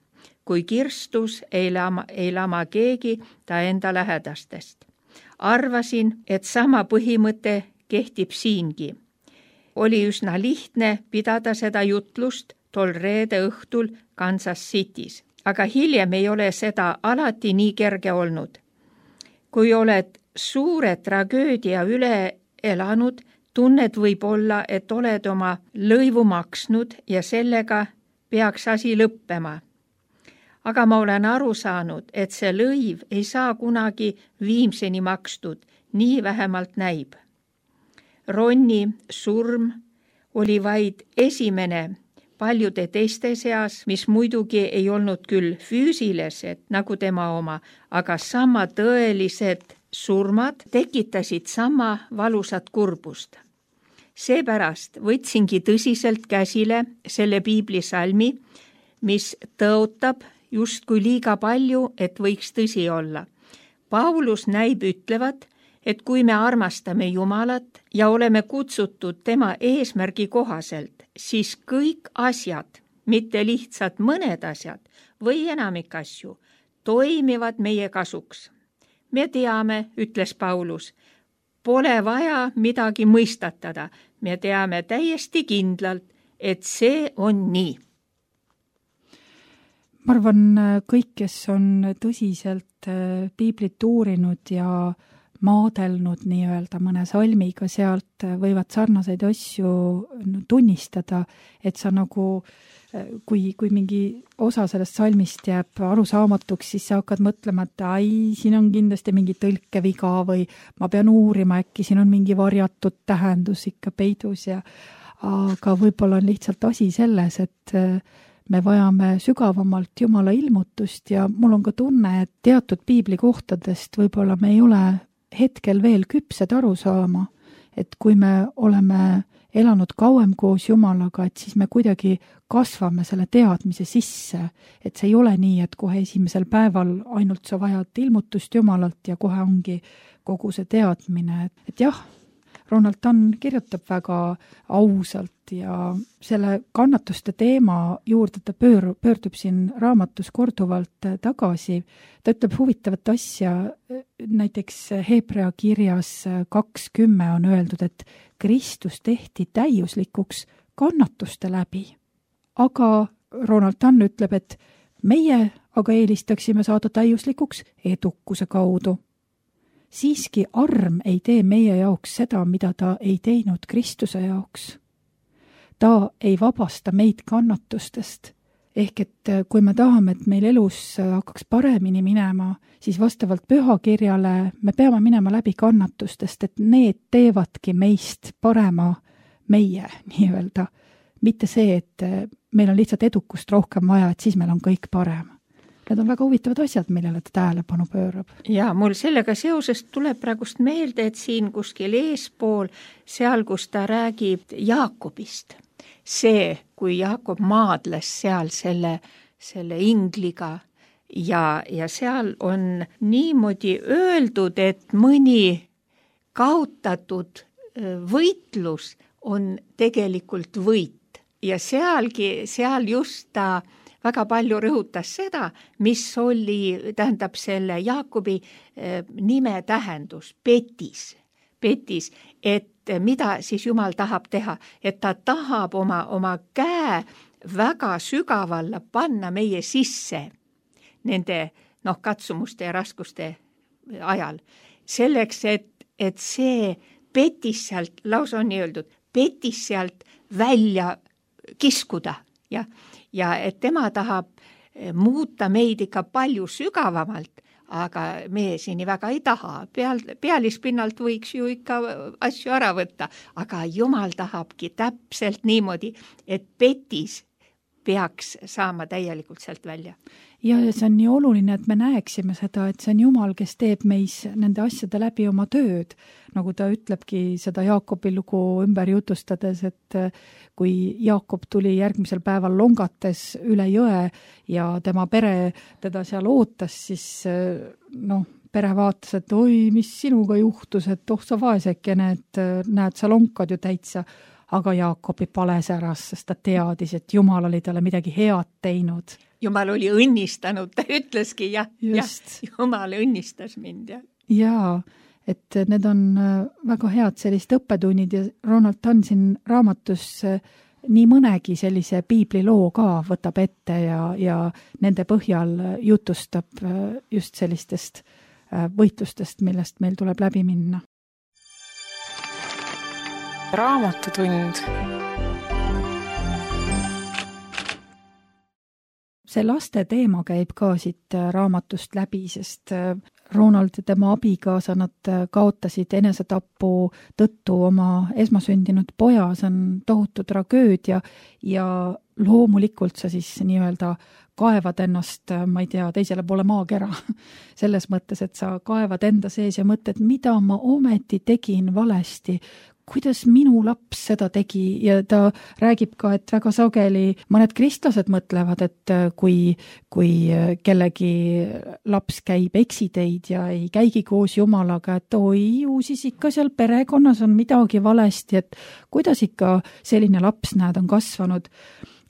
kui kirstus ei lama, ei lama keegi ta enda lähedastest. Arvasin, et sama põhimõte kehtib siingi. Oli üsna lihtne pidada seda jutlust tol reede õhtul Kansas City's, aga hiljem ei ole seda alati nii kerge olnud. Kui oled suure tragöödia üle elanud, tunned võib olla, et oled oma lõivu maksnud ja sellega peaks asi lõppema. Aga ma olen aru saanud, et see lõiv ei saa kunagi viimseni makstud, nii vähemalt näib. Ronni surm oli vaid esimene paljude teiste seas, mis muidugi ei olnud küll füüsilised nagu tema oma, aga sama tõelised surmad tekitasid sama valusat kurbust. Seepärast võtsingi tõsiselt käsile selle piiblisalmi, mis tõotab justkui liiga palju, et võiks tõsi olla. Paulus näib ütlevat, et kui me armastame Jumalat ja oleme kutsutud tema eesmärgi kohaselt, siis kõik asjad, mitte lihtsalt mõned asjad või enamik asju, toimivad meie kasuks. Me teame, ütles Paulus, pole vaja midagi mõistatada. Me teame täiesti kindlalt, et see on nii. Ma arvan, kõik, kes on tõsiselt piiblit uurinud ja maadelnud nii-öelda mõne salmiga sealt, võivad sarnaseid asju tunnistada, et sa nagu kui, kui mingi osa sellest salmist jääb arusaamatuks, siis sa hakkad mõtlema, et ai, siin on kindlasti mingi tõlkeviga või ma pean uurima, äkki siin on mingi varjatud tähendus ikka peidus ja aga võib-olla on lihtsalt asi selles, et me vajame sügavamalt Jumala ilmutust ja mul on ka tunne, et teatud piibli kohtadest võib-olla me ei ole hetkel veel küpsed aru saama, et kui me oleme elanud kauem koos Jumalaga, et siis me kuidagi kasvame selle teadmise sisse, et see ei ole nii, et kohe esimesel päeval ainult sa vajad ilmutust Jumalalt ja kohe ongi kogu see teadmine. Et jah, Ronald Tann kirjutab väga ausalt ja selle kannatuste teema juurde ta pöör, pöördub siin raamatus korduvalt tagasi. Ta ütleb huvitavat asja, näiteks Hebrea kirjas kakskümmend on öeldud, et Kristus tehti täiuslikuks kannatuste läbi. Aga Ronald Tann ütleb, et meie aga eelistaksime saada täiuslikuks edukuse kaudu. Siiski arm ei tee meie jaoks seda, mida ta ei teinud Kristuse jaoks. Ta ei vabasta meid kannatustest. Ehk et kui me tahame, et meil elus hakkaks paremini minema, siis vastavalt pühakirjale me peame minema läbi kannatustest, et need teevadki meist parema meie nii-öelda. Mitte see, et meil on lihtsalt edukust rohkem vaja, et siis meil on kõik parem. Need on väga huvitavad asjad, millele ta tähelepanu pöörab. Ja mul sellega seoses tuleb praegust meelde, et siin kuskil eespool, seal, kus ta räägib Jaakobist, see, kui Jaakob maadles seal selle, selle ingliga ja, ja seal on niimoodi öeldud, et mõni kaotatud võitlus on tegelikult võit ja sealgi, seal just ta väga palju rõhutas seda, mis oli, tähendab selle Jaakobi nime tähendus, petis, petis, et mida siis Jumal tahab teha, et ta tahab oma, oma käe väga sügavalla panna meie sisse nende noh, katsumuste ja raskuste ajal. Selleks, et, et see petis sealt, lausa on nii öeldud, petis sealt välja kiskuda ja Ja et tema tahab muuta meid ikka palju sügavamalt, aga me siin väga ei taha. Peal, pealispinnalt võiks ju ikka asju ära võtta, aga Jumal tahabki täpselt niimoodi, et petis peaks saama täielikult sealt välja. Ja see on nii oluline, et me näeksime seda, et see on Jumal, kes teeb meis nende asjade läbi oma tööd. Nagu ta ütlebki seda Jaakobi lugu ümber jutustades, et kui Jaakob tuli järgmisel päeval longates üle jõe ja tema pere teda seal ootas, siis noh, pere vaatas, et oi, mis sinuga juhtus, et oh sa vaesekene, et näed, sa lonkad ju täitsa. Aga Jaakobi pales äras, sest ta teadis, et Jumal oli talle midagi head teinud. Jumal oli õnnistanud, ta ütleski, jah, jah, Jumal õnnistas mind. Ja. Jaa, et need on väga head sellist õppetunnid ja Ronald Tann siin raamatus nii mõnegi sellise piibliloo ka võtab ette ja, ja nende põhjal jutustab just sellistest võitlustest, millest meil tuleb läbi minna. Raamatutund. See laste teema käib ka siit raamatust läbi, sest Ronald ja tema abikaasa, nad kaotasid enesetapu tõttu oma esmasündinud poja, see on tohutu tragöödia ja loomulikult sa siis nii-öelda kaevad ennast, ma ei tea, teisele poole maakera. Selles mõttes, et sa kaevad enda sees ja mõtled, mida ma ometi tegin valesti, kuidas minu laps seda tegi ja ta räägib ka, et väga sageli mõned kristlased mõtlevad, et kui, kui kellegi laps käib eksiteid ja ei käigi koos Jumalaga, et oi, ju siis ikka seal perekonnas on midagi valesti, et kuidas ikka selline laps, näed, on kasvanud.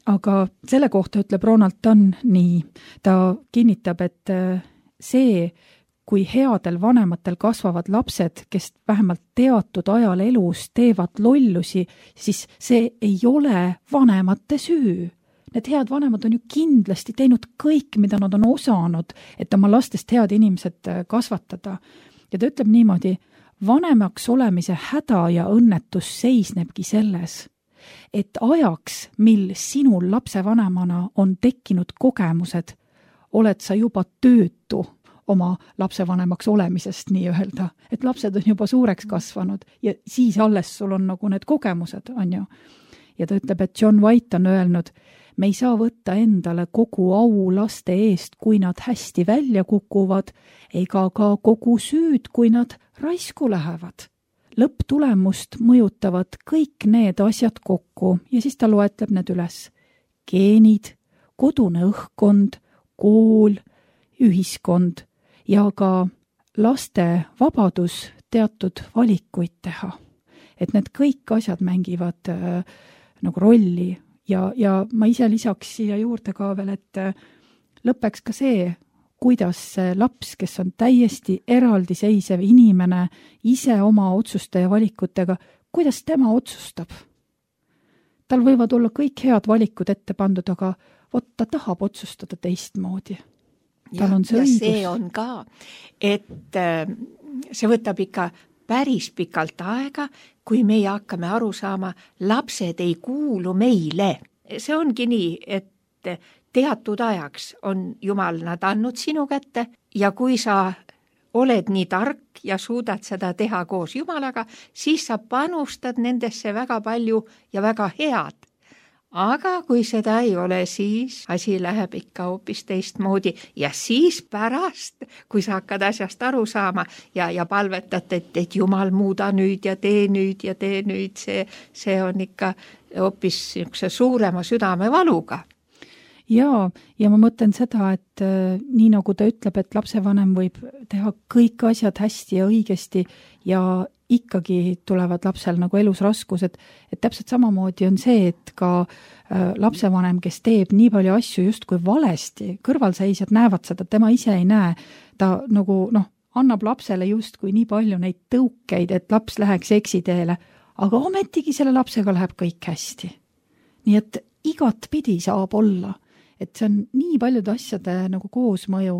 Aga selle kohta ütleb Ronald Dunn nii, ta kinnitab, et see, kui headel vanematel kasvavad lapsed, kes vähemalt teatud ajal elus teevad lollusi, siis see ei ole vanemate süü. Need head vanemad on ju kindlasti teinud kõik, mida nad on osanud, et oma lastest head inimesed kasvatada. Ja ta ütleb niimoodi, vanemaks olemise häda ja õnnetus seisnebki selles, et ajaks, mil sinul lapsevanemana on tekkinud kogemused, oled sa juba töötu oma lapsevanemaks olemisest nii-öelda, et lapsed on juba suureks kasvanud ja siis alles sul on nagu need kogemused, on ju. Ja ta ütleb, et John White on öelnud, me ei saa võtta endale kogu au laste eest, kui nad hästi välja kukuvad, ega ka kogu süüd, kui nad raisku lähevad. Lõpptulemust mõjutavad kõik need asjad kokku ja siis ta loetleb need üles. Geenid, kodune õhkkond, kool, ühiskond ja ka laste vabadus teatud valikuid teha. Et need kõik asjad mängivad äh, nagu rolli ja, ja ma ise lisaks siia juurde ka veel, et äh, lõpeks ka see, kuidas see laps, kes on täiesti eraldiseisev inimene, ise oma otsuste ja valikutega, kuidas tema otsustab. Tal võivad olla kõik head valikud ette pandud, aga vot ta tahab otsustada teistmoodi. Ja, ja see on ka, et see võtab ikka päris pikalt aega, kui meie hakkame aru saama, lapsed ei kuulu meile. See ongi nii, et teatud ajaks on Jumal nad andnud sinu kätte ja kui sa oled nii tark ja suudad seda teha koos Jumalaga, siis sa panustad nendesse väga palju ja väga head. Aga kui seda ei ole, siis asi läheb ikka hoopis teistmoodi ja siis pärast, kui sa hakkad asjast aru saama ja, ja palvetad, et, et Jumal muuda nüüd ja tee nüüd ja tee nüüd, see, see on ikka hoopis suurema südamevaluga. Jaa, ja ma mõtlen seda, et äh, nii nagu ta ütleb, et lapsevanem võib teha kõik asjad hästi ja õigesti ja ikkagi tulevad lapsel nagu elus raskused, et täpselt samamoodi on see, et ka äh, lapsevanem, kes teeb nii palju asju justkui valesti, kõrvalseisjad näevad seda, tema ise ei näe, ta nagu noh, annab lapsele justkui nii palju neid tõukeid, et laps läheks eksiteele, aga ometigi selle lapsega läheb kõik hästi. Nii et igat pidi saab olla, et see on nii paljude asjade nagu koosmõju,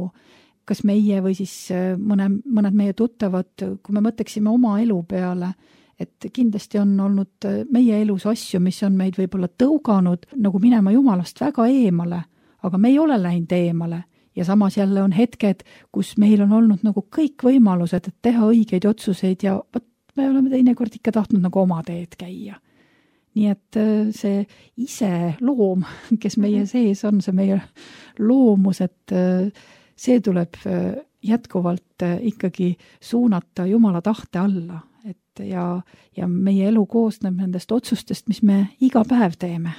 kas meie või siis mõne, mõned meie tuttavad, kui me mõtleksime oma elu peale, et kindlasti on olnud meie elus asju, mis on meid võib-olla tõuganud nagu minema Jumalast väga eemale, aga me ei ole läinud eemale. Ja samas jälle on hetked, kus meil on olnud nagu kõik võimalused, et teha õigeid otsuseid ja võt, me oleme teinekord ikka tahtnud nagu oma teed käia. Nii et see ise loom, kes meie sees on, see meie loomus, et see tuleb jätkuvalt ikkagi suunata Jumala tahte alla, et ja, ja meie elu koosneb nendest otsustest, mis me iga päev teeme.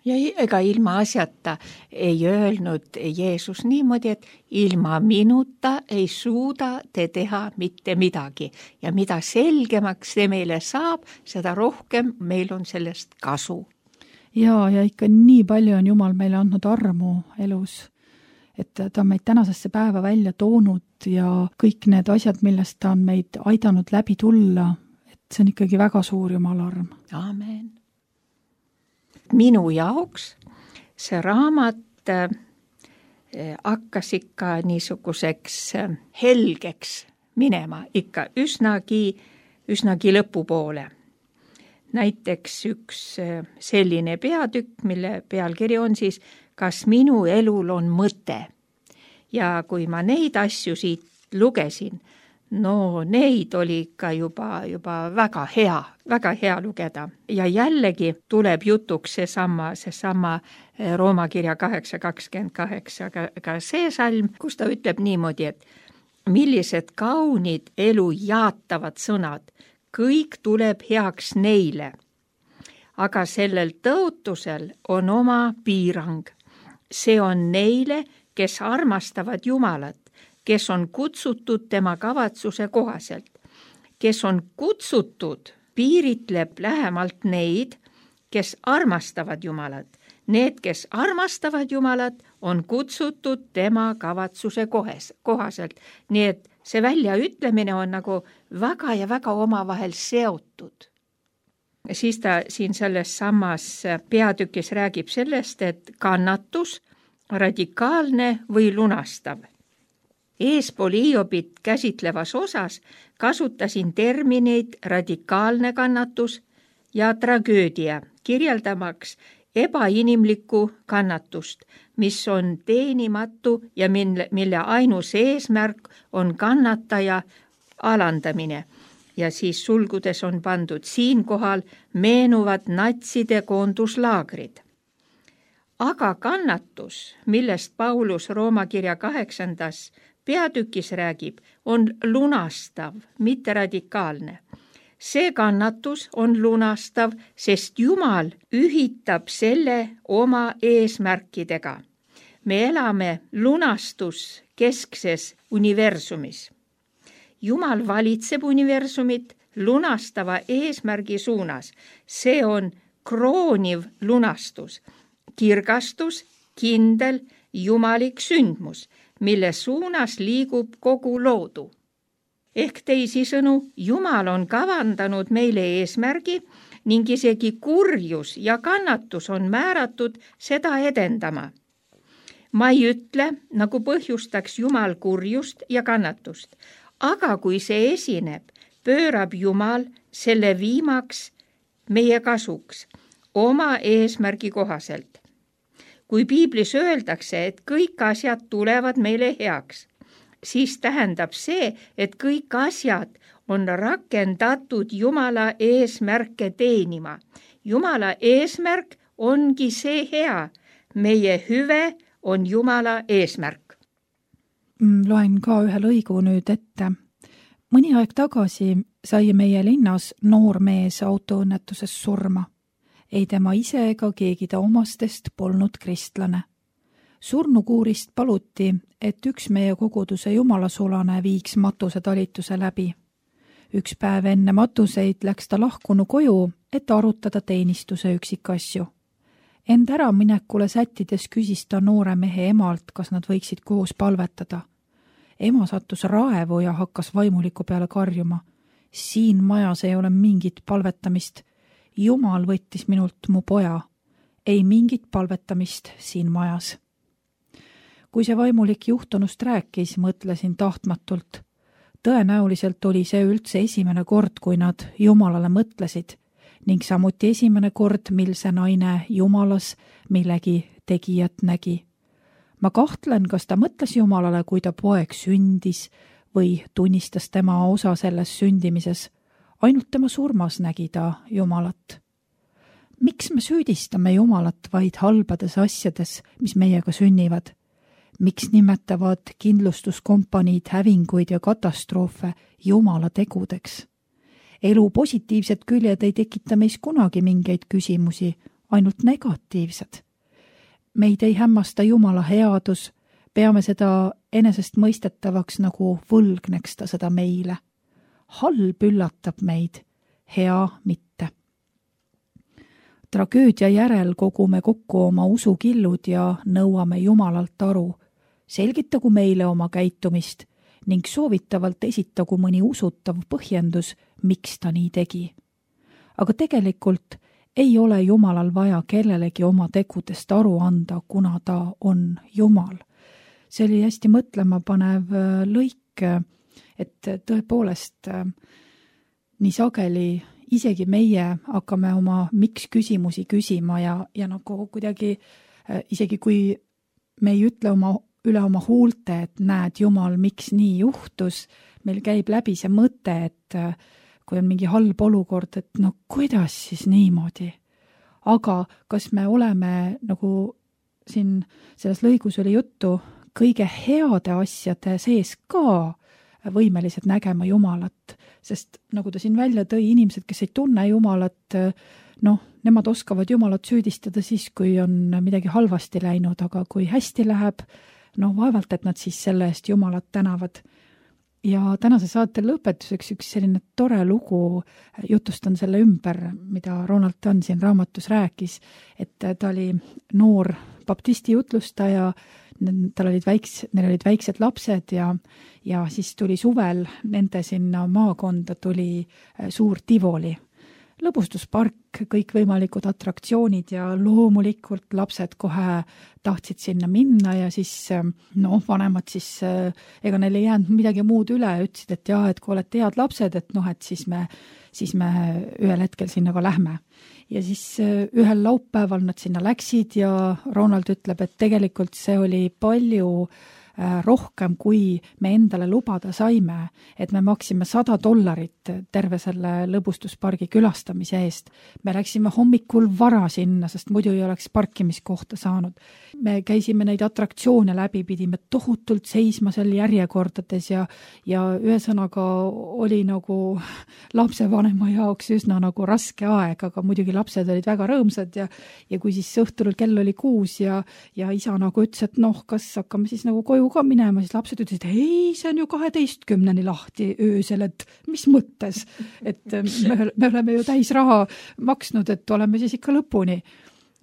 Ja ega ilma asjata ei öelnud Jeesus niimoodi, et ilma minuta ei suuda te teha mitte midagi. Ja mida selgemaks see meile saab, seda rohkem meil on sellest kasu. Ja, ja ikka nii palju on Jumal meile andnud armu elus, et ta on meid tänasesse päeva välja toonud ja kõik need asjad, millest ta on meid aidanud läbi tulla, et see on ikkagi väga suur Jumala arm. Amen. Minu jaoks see raamat äh, hakkas ikka niisuguseks äh, helgeks minema, ikka üsnagi, üsnagi lõpupoole. Näiteks üks äh, selline peatükk, mille pealkiri on siis Kas minu elul on mõte? Ja kui ma neid asju siit lugesin, no neid oli ikka juba, juba väga hea, väga hea lugeda. Ja jällegi tuleb jutuks seesama, seesama Rooma kirja kaheksa kakskümmend kaheksa, ka, ka see salm, kus ta ütleb niimoodi, et millised kaunid elu jaatavad sõnad, kõik tuleb heaks neile. Aga sellel tõotusel on oma piirang. See on neile, kes armastavad Jumalat, kes on kutsutud tema kavatsuse kohaselt. Kes on kutsutud, piiritleb lähemalt neid, kes armastavad Jumalat. Need, kes armastavad Jumalat, on kutsutud tema kavatsuse kohes, kohaselt. Nii et see väljaütlemine on nagu väga ja väga omavahel seotud. Siis ta siin selles samas peatükis räägib sellest, et kannatus, radikaalne või lunastav. Eespool Hiobit käsitlevas osas kasutasin termineid radikaalne kannatus ja tragöödia, kirjeldamaks ebainimlikku kannatust, mis on teenimatu ja mille, mille ainus eesmärk on kannataja alandamine. Ja siis sulgudes on pandud siinkohal meenuvad natside koonduslaagrid. Aga kannatus, millest Paulus Rooma kirja kaheksandas peatükis räägib, on lunastav, mitte radikaalne. See kannatus on lunastav, sest Jumal ühitab selle oma eesmärkidega. Me elame lunastus keskses universumis. Jumal valitseb universumit lunastava eesmärgi suunas. See on krooniv lunastus, kirgastus, kindel, jumalik sündmus, mille suunas liigub kogu loodu. Ehk teisisõnu, Jumal on kavandanud meile eesmärgi ning isegi kurjus ja kannatus on määratud seda edendama. Ma ei ütle, nagu põhjustaks Jumal kurjust ja kannatust, aga kui see esineb, pöörab Jumal selle viimaks meie kasuks oma eesmärgi kohaselt. Kui piiblis öeldakse, et kõik asjad tulevad meile heaks, siis tähendab see, et kõik asjad on rakendatud Jumala eesmärke teenima. Jumala eesmärk ongi see hea. Meie hüve on Jumala eesmärk. Loen ka ühe lõigu nüüd ette. Mõni aeg tagasi sai meie linnas noor mees autoõnnetuses surma. Ei tema ise ega keegi ta omastest polnud kristlane. Surnukuurist paluti, et üks meie koguduse jumalasulane viiks matuse talituse läbi. Üks päev enne matuseid läks ta lahkunu koju, et arutada teenistuse üksikasju. End ära minekule sättides küsis ta noore mehe emalt, kas nad võiksid koos palvetada. Ema sattus raevu ja hakkas vaimuliku peale karjuma. Siin majas ei ole mingit palvetamist. Jumal võttis minult mu poja. Ei mingit palvetamist siin majas. Kui see vaimulik juhtunust rääkis, mõtlesin tahtmatult. Tõenäoliselt oli see üldse esimene kord, kui nad Jumalale mõtlesid, ning samuti esimene kord, mil see naine Jumalas millegi tegijat nägi. Ma kahtlen, kas ta mõtles Jumalale, kui ta poeg sündis või tunnistas tema osa selles sündimises. Ainult tema surmas nägi ta Jumalat. Miks me süüdistame Jumalat vaid halbades asjades, mis meiega sünnivad? Miks nimetavad kindlustuskompaniid hävinguid ja katastroofe Jumala tegudeks? Elu positiivsed küljed ei tekita meis kunagi mingeid küsimusi, ainult negatiivsed. Meid ei hämmasta Jumala headus, peame seda enesest mõistetavaks, nagu võlgneks ta seda meile. Halb üllatab meid, hea mitte. Tragöödia järel kogume kokku oma usukillud ja nõuame Jumalalt aru. Selgitagu meile oma käitumist ning soovitavalt esitagu mõni usutav põhjendus, miks ta nii tegi. Aga tegelikult ei ole Jumalal vaja kellelegi oma tegudest aru anda, kuna ta on Jumal. See oli hästi mõtlema panev lõik, et tõepoolest nii sageli isegi meie hakkame oma miks küsimusi küsima ja, ja nagu kuidagi isegi kui me ei ütle oma üle oma huulte, et näed, Jumal, miks nii juhtus. Meil käib läbi see mõte, et kui on mingi halb olukord, et no kuidas siis niimoodi. Aga kas me oleme, nagu siin selles lõigus oli juttu, kõige heade asjade sees ka võimelised nägema Jumalat, sest nagu ta siin välja tõi, inimesed, kes ei tunne Jumalat, noh, nemad oskavad Jumalat süüdistada siis, kui on midagi halvasti läinud, aga kui hästi läheb, no vaevalt, et nad siis selle eest Jumalat tänavad. Ja tänase saate lõpetuseks üks selline tore lugu, jutustan selle ümber, mida Ronald Dunn siin raamatus rääkis, et ta oli noor baptisti jutlustaja, tal olid väiks, neil olid väiksed lapsed ja, ja siis tuli suvel nende sinna maakonda tuli suur Tivoli. Lõbustuspark, kõikvõimalikud atraktsioonid ja loomulikult lapsed kohe tahtsid sinna minna ja siis noh, vanemad siis, ega neil ei jäänud midagi muud üle, ütlesid, et jah, et kui olete head lapsed, et noh, et siis me, siis me ühel hetkel sinna ka lähme. Ja siis ühel laupäeval nad sinna läksid ja Ronald ütleb, et tegelikult see oli palju rohkem, kui me endale lubada saime, et me maksime sada dollarit terve selle lõbustuspargi külastamise eest. Me läksime hommikul vara sinna, sest muidu ei oleks parkimiskohta saanud. Me käisime neid atraktsioone läbi, pidime tohutult seisma seal järjekordades ja, ja ühesõnaga oli nagu lapsevanema jaoks üsna nagu raske aeg, aga muidugi lapsed olid väga rõõmsad ja, ja kui siis õhtul kell oli kuus ja, ja isa nagu ütles, et noh, kas hakkame siis nagu koju ka minema, siis lapsed ütlesid, ei, see on ju kaheteistkümneni lahti öösel, et mis mõttes, et me, me oleme ju täis raha maksnud, et oleme siis ikka lõpuni.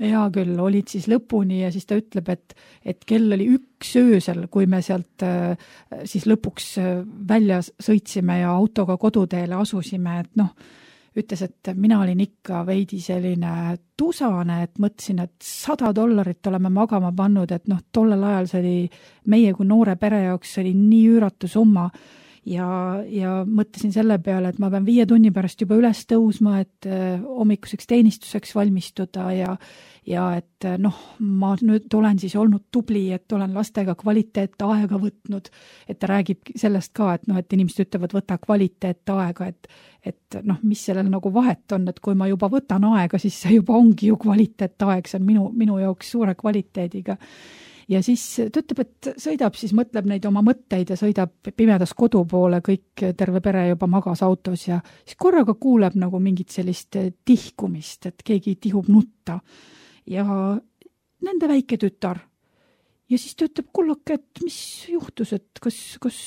Ja küll, olid siis lõpuni ja siis ta ütleb, et, et kell oli üks öösel, kui me sealt siis lõpuks välja sõitsime ja autoga koduteele asusime, et noh, ütles, et mina olin ikka veidi selline tusane, et mõtlesin, et sada dollarit oleme magama pannud, et noh, tollel ajal see oli meie kui noore pere jaoks, see oli nii üüratu summa ja, ja mõtlesin selle peale, et ma pean viie tunni pärast juba üles tõusma, et hommikuseks teenistuseks valmistuda ja, ja et noh, ma nüüd olen siis olnud tubli, et olen lastega kvaliteet aega võtnud, et ta räägib sellest ka, et noh, et inimesed ütlevad, võta kvaliteet aega, et et noh, mis sellel nagu vahet on, et kui ma juba võtan aega, siis see juba ongi ju kvaliteet aeg, see on minu, minu jaoks suure kvaliteediga. Ja siis ta ütleb, et sõidab, siis mõtleb neid oma mõtteid ja sõidab pimedas kodu poole, kõik terve pere juba magas autos ja siis korraga kuuleb nagu mingit sellist tihkumist, et keegi tihub nutta ja nende väike tütar. Ja siis ta ütleb, kullake, et mis juhtus, et kas, kas,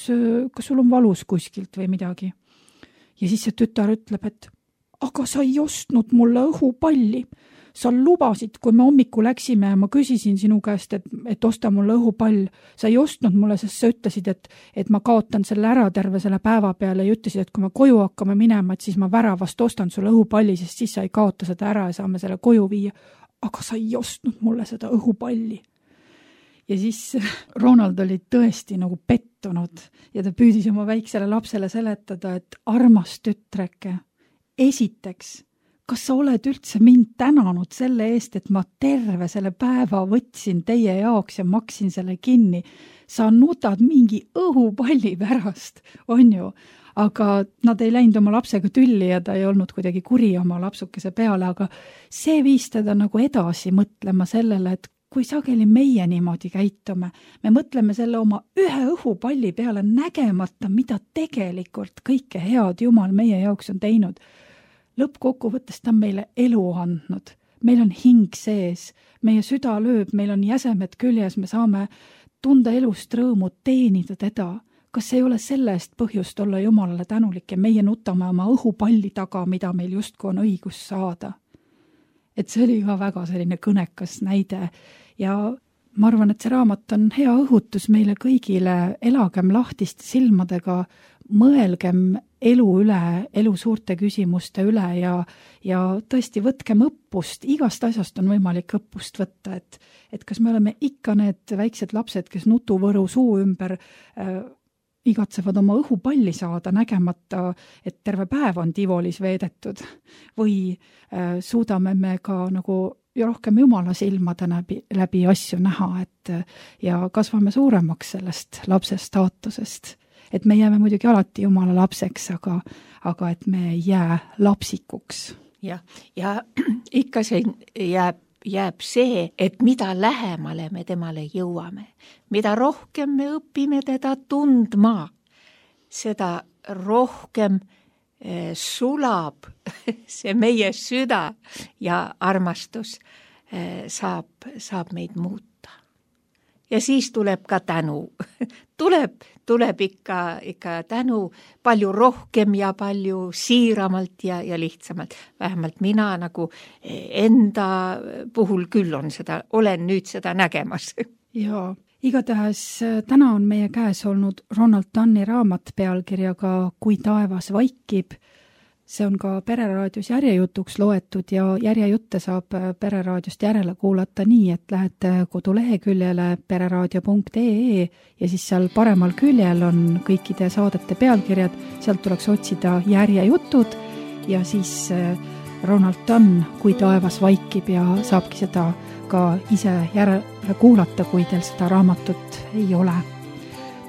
kas sul on valus kuskilt või midagi? Ja siis see tütar ütleb, et aga sa ei ostnud mulle õhupalli. Sa lubasid, kui me hommiku läksime ja ma küsisin sinu käest, et, et osta mulle õhupall. Sa ei ostnud mulle, sest sa ütlesid, et, et ma kaotan selle ära terve selle päeva peale ja ütlesid, et kui me koju hakkame minema, et siis ma väravast ostan sulle õhupalli, sest siis sa ei kaota seda ära ja saame selle koju viia. Aga sa ei ostnud mulle seda õhupalli. Ja siis Ronald oli tõesti nagu pettunud ja ta püüdis oma väiksele lapsele seletada, et armas tütreke, esiteks, kas sa oled üldse mind tänanud selle eest, et ma terve selle päeva võtsin teie jaoks ja maksin selle kinni. Sa nutad mingi õhupalli pärast, on ju, aga nad ei läinud oma lapsega tülli ja ta ei olnud kuidagi kuri oma lapsukese peale, aga see viis teda nagu edasi mõtlema sellele, et kui sageli meie niimoodi käitume, me mõtleme selle oma ühe õhupalli peale nägemata, mida tegelikult kõike head Jumal meie jaoks on teinud. Lõppkokkuvõttes ta on meile elu andnud. Meil on hing sees, meie süda lööb, meil on jäsemed küljes, me saame tunda elust rõõmu, teenida teda. Kas ei ole selle eest põhjust olla Jumalale tänulik ja meie nutame oma õhupalli taga, mida meil justku on õigus saada? Et see oli ka väga selline kõnekas näide ja ma arvan, et see raamat on hea õhutus meile kõigile, elagem lahtiste silmadega, mõelgem elu üle, elu suurte küsimuste üle ja, ja tõesti võtkem õppust, igast asjast on võimalik õppust võtta, et, et kas me oleme ikka need väiksed lapsed, kes nutuvõru suu ümber äh, igatsevad oma õhupalli saada, nägemata, et terve päev on Tivolis veedetud või äh, suudame me ka nagu ju rohkem Jumala silmade läbi, läbi asju näha, et ja kasvame suuremaks sellest lapse staatusest. Et me jääme muidugi alati Jumala lapseks, aga, aga et me ei jää lapsikuks. Ja, ja ikka see jääb, jääb see, et mida lähemale me temale jõuame, mida rohkem me õpime teda tundma, seda rohkem sulab see meie süda ja armastus saab, saab meid muuta. Ja siis tuleb ka tänu. tuleb, tuleb ikka, ikka tänu palju rohkem ja palju siiramalt ja, ja lihtsamalt. Vähemalt mina nagu enda puhul küll on seda, olen nüüd seda nägemas. Jaa. Igatahes täna on meie käes olnud Ronald Dunni raamat pealkirjaga Kui taevas vaikib. See on ka Pereraadios järjejutuks loetud ja järjejutte saab Pereraadiost järele kuulata nii, et lähete koduleheküljele pereraadio punkt ee ja siis seal paremal küljel on kõikide saadete pealkirjad, sealt tuleks otsida järjejutud ja siis Ronald Dunn Kui taevas vaikib ja saabki seda ka ise järele kuulata, kui teil seda raamatut ei ole.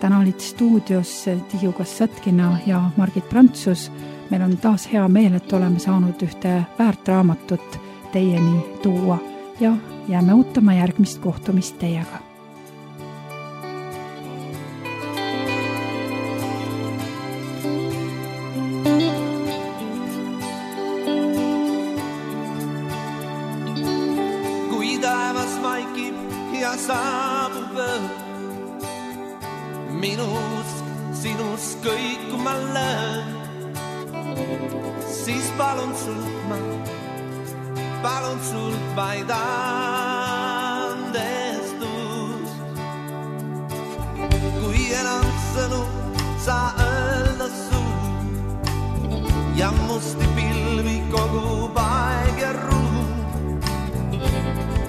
Täna olid stuudios Tiiu Kassatkina ja Margit Prantsus. Meil on taas hea meel, et oleme saanud ühte väärt raamatut teieni tuua ja jääme ootama järgmist kohtumist teiega. Kui taevas vaikib ja saabub öö, minus, sinus kõikuma löön, siis palun sult ma, palun sult vaid andestus. Kui enam sõnu saa öelda suu ja musti pilvi kogub aeg ja ruum,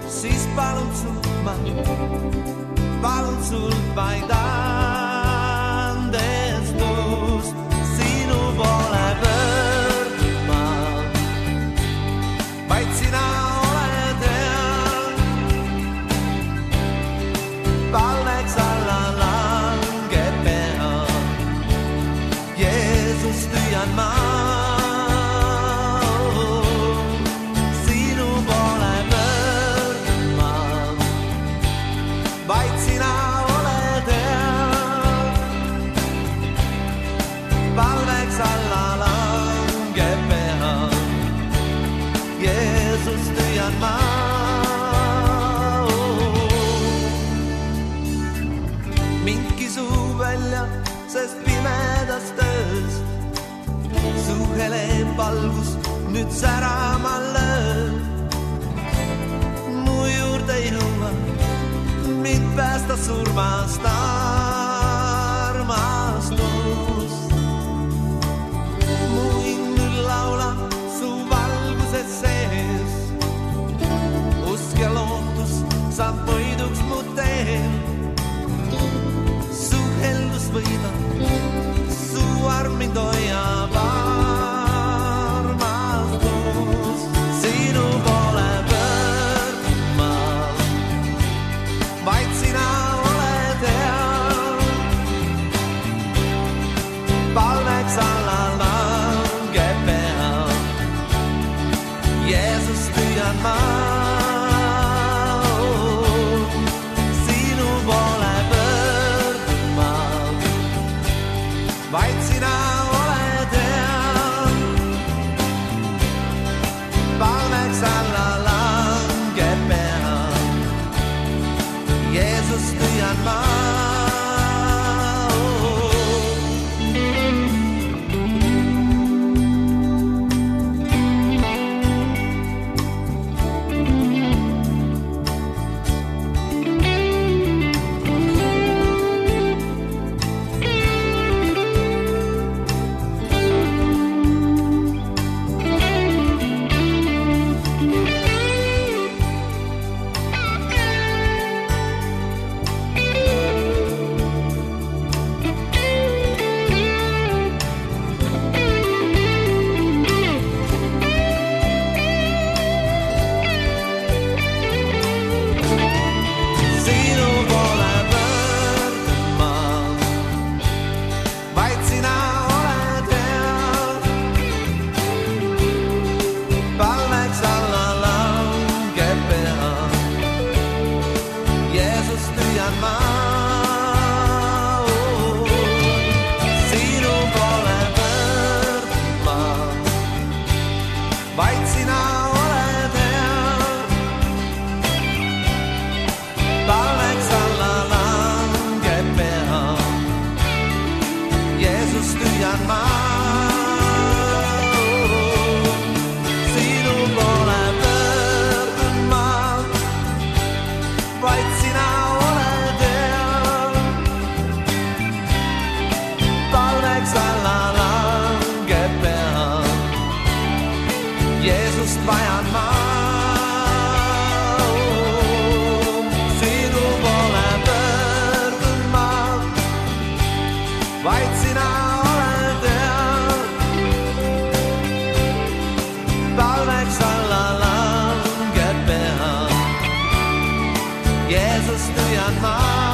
siis palun sult ma, palun sult vaid andestus. Sinu poole pöördma, vaid sina oled hea. Palveks alla langeb pea, Jeesus tüüan ma. Sinu poole pöördma, vaid sina oled hea. Palveks alla langeb pea, Jeesus tüüan ma. Mind kisub välja, sest pimedas töös su hele valgus nüüd särama lööb. Mu juurde jõua, mind päästa surmast armastus. Mu hing nüüd laulab su valguses sees, usk ja lootus saab võiduks mu teel. Su heldus võidab, su arm mind hoiab armastus. Sinu poole pöördma, vaid sina oled hea. Palveks alla langeb pea, Jeesus tüüan ma. Sinu poole pöördma, vaid sina oled hea. Palveks alla langeb pea, Jeesus tüüan ma. sina oled hea. Talveks alla langeb pea. Jeesus tüüan ma. Sinu poole pöördun ma. Vaid sina oled hea. Talveks alla langeb pea. Jeesust vajan ma. Sinu poole pöördun ma. Vaid sina oled hea. Talveks alla langeb pea. Jeesust tüüan ma.